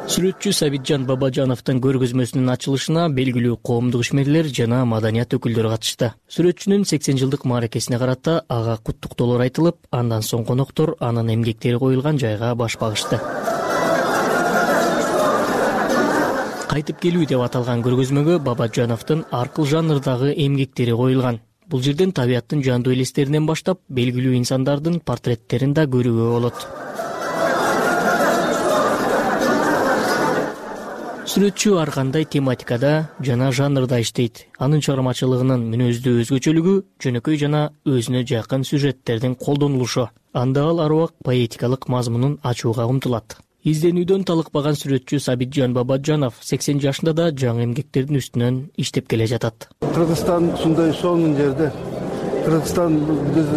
Сүрөтчү Сабитжан Бабажановдун көргөзмөсүнүн ачылышына белгилүү коомдук ишмерлер жана маданият өкүлдөрү катышты. Сүрөтчүнүн сексен жылдык мааракесине карата ага куттуктоолор айтылып, андан соң коноктор анын эмгектери коюлган жайга баш багышты. Кайтып келүү деп аталган көргөзмөгө Бабажановдун ар кыл жанрдагы эмгектери коюлган. Бул жерден табияттын жандуу элестеринен баштап белгилүү инсандардын портреттерин да көрүүгө болот. Сүрөтчү ар кандай тематикада жана жанрда иштейт. Анын чыгармачылыгынын мүнөздүү өзгөчөлүгү жөнөкөй жана өзүнө жакын сюжеттердин колдонулушу. Анда ал ар убак поэтикалык мазмунун ачууга умтулат. Изденүүдөн талыкпаган сүрөтчү Сабитжан Бабажанов сексен жашында да жаңы эмгектердин үстүнөн иштеп келе жатат. Кыргызстан ушундай сонун жерде. Кыргызстан биз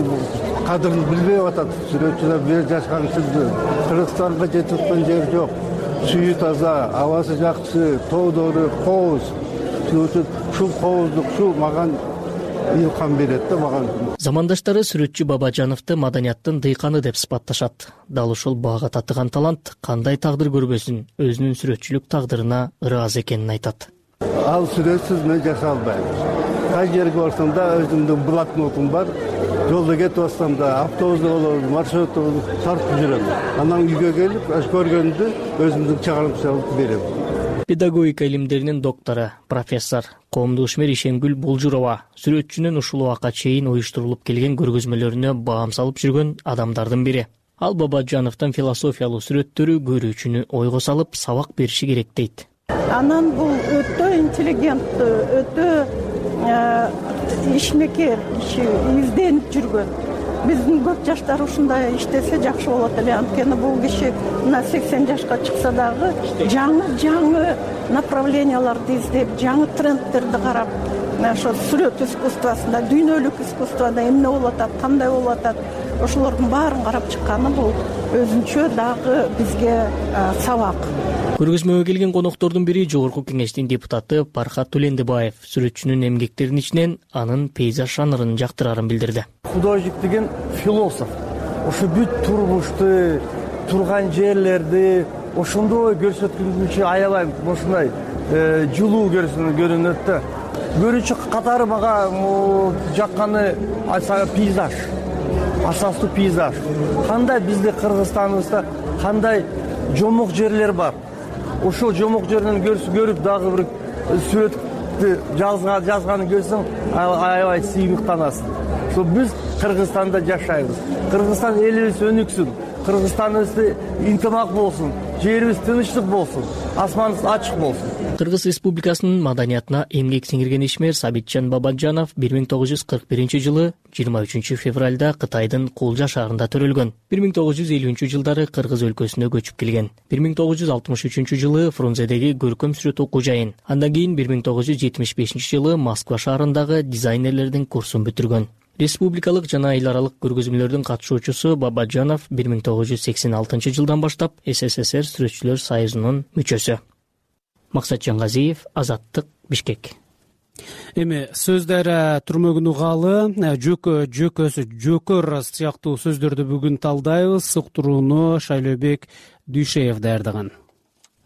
кадырын билбей атат. Сүрөтчүлөр бир жашканчылды. Кыргызстанга жетип аткан жер жок. Сүйү таза, абасы жакшы, тоодору кооз. Ушул кооздук, ушул маган илкам берет да маган. Замандаштары сүрөтчү Бабажановду маданияттын дыйканы деп сыпатташат. Дал ушул бага татыган талант кандай тагдыр көрбөсүн, өзүнүн сүрөтчүлүк тагдырына ыраазы экенин айтат. Ал сүрөтсүз мен жашай албайм. Кай жерге барсам да өзүмдүн блокнотум бар. Жолда кетип атсам да, автобусда болобу, маршрутта болобу тартып жүрөм. Анан үйгө келип, көргөндү өзүмдүн чыгармачылык берем. Педагогика илимдеринин доктору, профессор, коомдук ишмер Ишенгүл Булжурова сүрөтчүнүн ушул убакка чейин уюштурулуп келген көргөзмөлөрүнө баам салып жүргөн адамдардын бири. Ал Бабажановдун философиялуу сүрөттөрү көрүүчүнү ойго салып, сабак бериши керек дейт. Анан бул өтө интеллигенттүү, өтө ишмекер киши, изденип жүргөн. Биздин көп жаштар ушундай иштесе жакшы болот эле. Анткени бул киши мына сексен жашка чыкса дагы жаңы жаңы направленияларды издеп, жаңы трендтерди карап, ошо сүрөт искусствосунда, дүйнөлүк искусствода эмне болуп атат, кандай болуп атат, ошолордун баарын карап чыкканы бул өзүнчө дагы бизге сабак. Көргөзмөгө келген коноктордун бири Жогорку Кеңештин депутаты Пархат Төлендибаев сүрөтчүнүн эмгектеринин ичинен анын пейзаж жанрын жактырарын билдирди. Художник деген философ. Ошо бүт турмушту, турган жерлерди ошондой көрсөткүнчү аябай ушундай жылуу көрүнөт да. Көрүүчү катары мага жакканы пейзаж, асастуу пейзаж. Кандай бизде Кыргызстаныбызда кандай жомок жерлер бар. Ошол жомок жерден көрүп дагы бир сүрөттү жазганын көрсөң аябай сыймыктанасың. Ошо биз Кыргызстанда жашайбыз. Кыргызстан элибиз өнүксүн, Кыргызстаныбыз интимак болсун, жерибиз тынычтык болсун, асманыбыз ачык болсун. Кыргыз Республикасынын маданиятына эмгек сиңирген ишмер Сабитжан Бабаджанов бир миң тогуз жүз кырк биринчи жылы жыйырма үчүнчү февралда Кытайдын Кулжа шаарында төрөлгөн. бир миң тогуз жүз элүүнчү жылдары Кыргыз өлкөсүнө көчүп келген. бир миң тогуз жүз алтымыш үчүнчү жылы Фрунзедеги көркөм сүрөт окуу жайын, андан кийин бир миң тогуз жүз жетимиш бешинчи жылы Москва шаарындагы дизайнерлердин курсун бүтүргөн. Республикалык жана эл аралык көргөзмөлөрдүн катышуучусу Бабаджанов бир миң тогуз жүз сексен алтынчы жылдан баштап СССР Сүрөтчүлөр союзунун мүчөсү. Максат Жангазиев, Азаттык, Бишкек. Эми сөздөр түрмөгүн угалы, жөкө, жөкөсү, жөкөр сыяктуу сөздөрдү бүгүн талдайбыз. Суктурууну Шайлообек Дүйшеев даярдаган.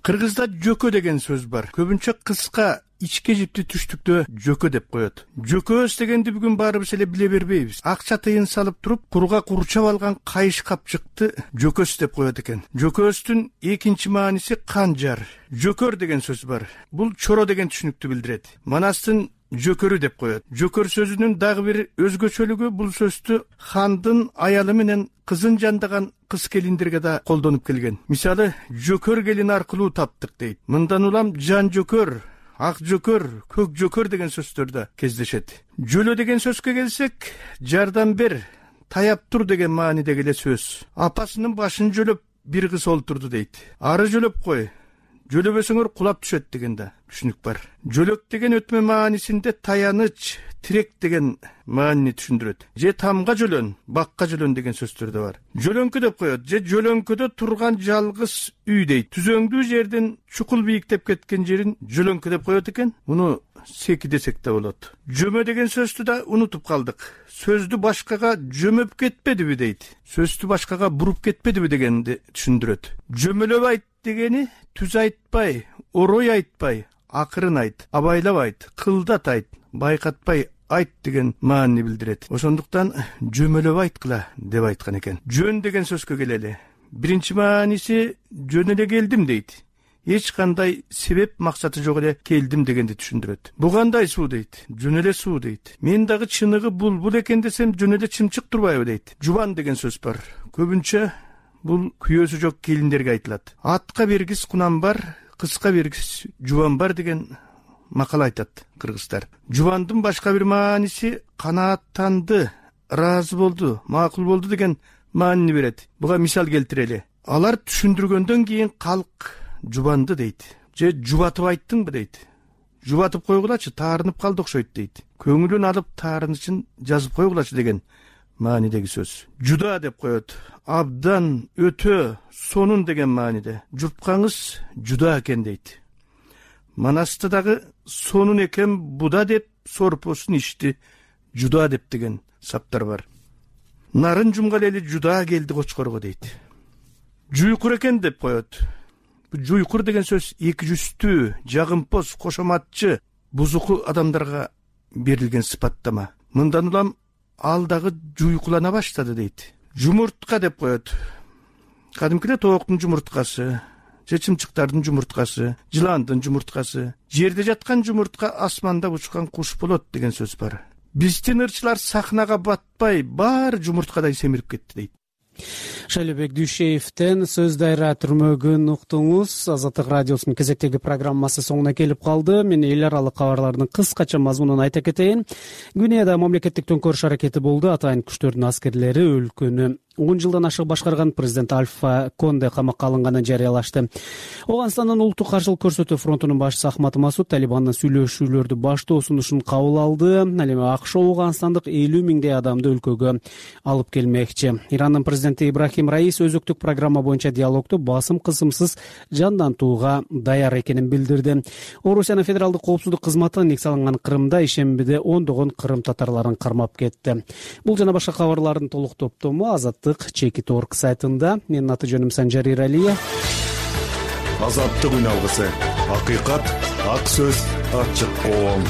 Кыргызда жөкө деген сөз бар. Көбүнчө кыска ичке жипти түштүктө жөкө деп коет. Жөкөс дегенди бүгүн баарыбыз эле биле бербейбиз. Акча тыйын салып туруп, курга курчап алган кайыш капчыкты жөкөс деп коет экен. Жөкөстүн экинчи мааниси канжар. Жөкөр деген сөз бар. Бул чоро деген түшүнүктү билдирет. Манастын жөкөрү деп коет. Жөкөр сөзүнүн дагы бир өзгөчөлүгү бул сөздү хандын аялы менен кызын жандаган кыз келиндерге да колдонуп келген. Мисалы, жөкөр келин аркылуу таптык дейт. Мындан улам жан жөкөр, ак жөкөр, көк жөкөр деген сөздөр да кездешет. Жөлө деген сөзгө келсек, жардам бер, таяп тур деген маанидеги эле сөз. Апасынын башын жөлөп бир кыз олтурду дейт. Ары жөлөп кой, жөлөбөсөңөр кулап түшөт деген да түшүнүк бар. Жөлөк деген өтмө маанисинде таяныч, тирек деген маанини түшүндүрөт. Же тамга жөлөн, бакка жөлөн деген сөздөр да бар. Жөлөңкү деп коет, же жөлөңкөдө турган жалгыз үй дейт. Түзөңдүү жерден чукул бийиктеп кеткен жерин жөлөңкү деп коет экен. Муну секи десек да болот. Жөмө деген сөздү да унутуп калдык. Сөздү башкага жөмөп кетпедиби дейт. Сөздү башкага буруп кетпедиби дегенди түшүндүрөт. Жөмөлөп айт дегени түз айтпай, орой айтпай, акырын айт, абайлап айт, кылдат айт, байкатпай айт деген маанини билдирет. Ошондуктан жөмөлөп айткыла деп айткан экен. Жөн деген сөзгө келели. Биринчи мааниси жөн эле келдим дейт. Эч кандай себеп максаты жок эле келдим дегенди түшүндүрөт. Бу кандай суу дейт? Жөн эле суу дейт. Мен дагы чыныгы булбул экен десем жөн эле чымчык турбайбы дейт. Жубан деген сөз бар. Көбүнчө бул күйөөсү жок келиндерге айтылат. Атка бергис кунам бар, кызга бергис жубан бар деген макал айтат кыргыздар. Жубандын башка бир мааниси канааттанды, ыраазы болду, макул болду деген маанини берет. Буга мисал келтирели. Алар түшүндүргөндөн кийин калк жубанды дейт. Же жубатып айттыңбы дейт. Жубатып койгулачы, таарынып калды окшойт дейт. Көңүлүн алып таарынычын жазып койгулачы деген маанидеги сөз. Жуда деп коет. Абдан, өтө, сонун деген мааниде. Жупкаңыз жуда экен дейт. Манаста дагы сонун экен буда деп сорпосун ичти жуда деп деген саптар бар. Нарын жумгал эли жуда келди кочкорго дейт. Жуйкур экен деп коет. Жуйкур деген сөз эки жүздүү, жагымпоз, кошоматчы, бузуку адамдарга берилген сыпаттама. Мындан улам ал дагы жуйкулана баштады дейт. Жумуртка деп коет. Кадимкиде тооктун жумурткасы, же чымчыктардын жумурткасы, жыландын жумурткасы, жерде жаткан жумуртка асманда учкан куш болот деген сөз бар. Биздин ырчылар сахнага батпай, баары жумурткадай семирип кетти дейт. Шайлообек Дүйшеевден сөз дайра түрмөгүн уктуңуз. Азаттык радиосунун кезектеги программасы соңуна келип калды. Мен эл аралык кабарлардын кыскача мазмунун айта кетейин. Гвинеяда мамлекеттик төңкөрүш аракети болду. Атайын күчтөрдүн аскерлери өлкөнү он жылдан ашык башкарган президент Альфа Конде камакка алынганын жарыялашты. Ооганстандын улуттук каршылык көрсөтүү фронтунун башчысы Ахмад Масуд Талибандын сүйлөшүүлөрдү баштоо сунушун кабыл алды. Ал эми АКШ ооганстандык элүү миңдей адамды өлкөгө алып келмекчи. Ирандын президенти Ибрахим Раис өзөктүк программа боюнча диалогду басым кысымсыз жандантууга даяр экенин билдирди. Орусиянын федералдык коопсуздук кызматы ник салынган Крымда ишембиде ондогон кырым татарларын кармап кетти. Бул жана башка кабарлардын толук топтому Азаттык азаттык чекит орг сайтында. Менин аты жөнүм Санжар Иралиев. Азаттык үн алгысы, акыйкат, ак сөз, ачык коом.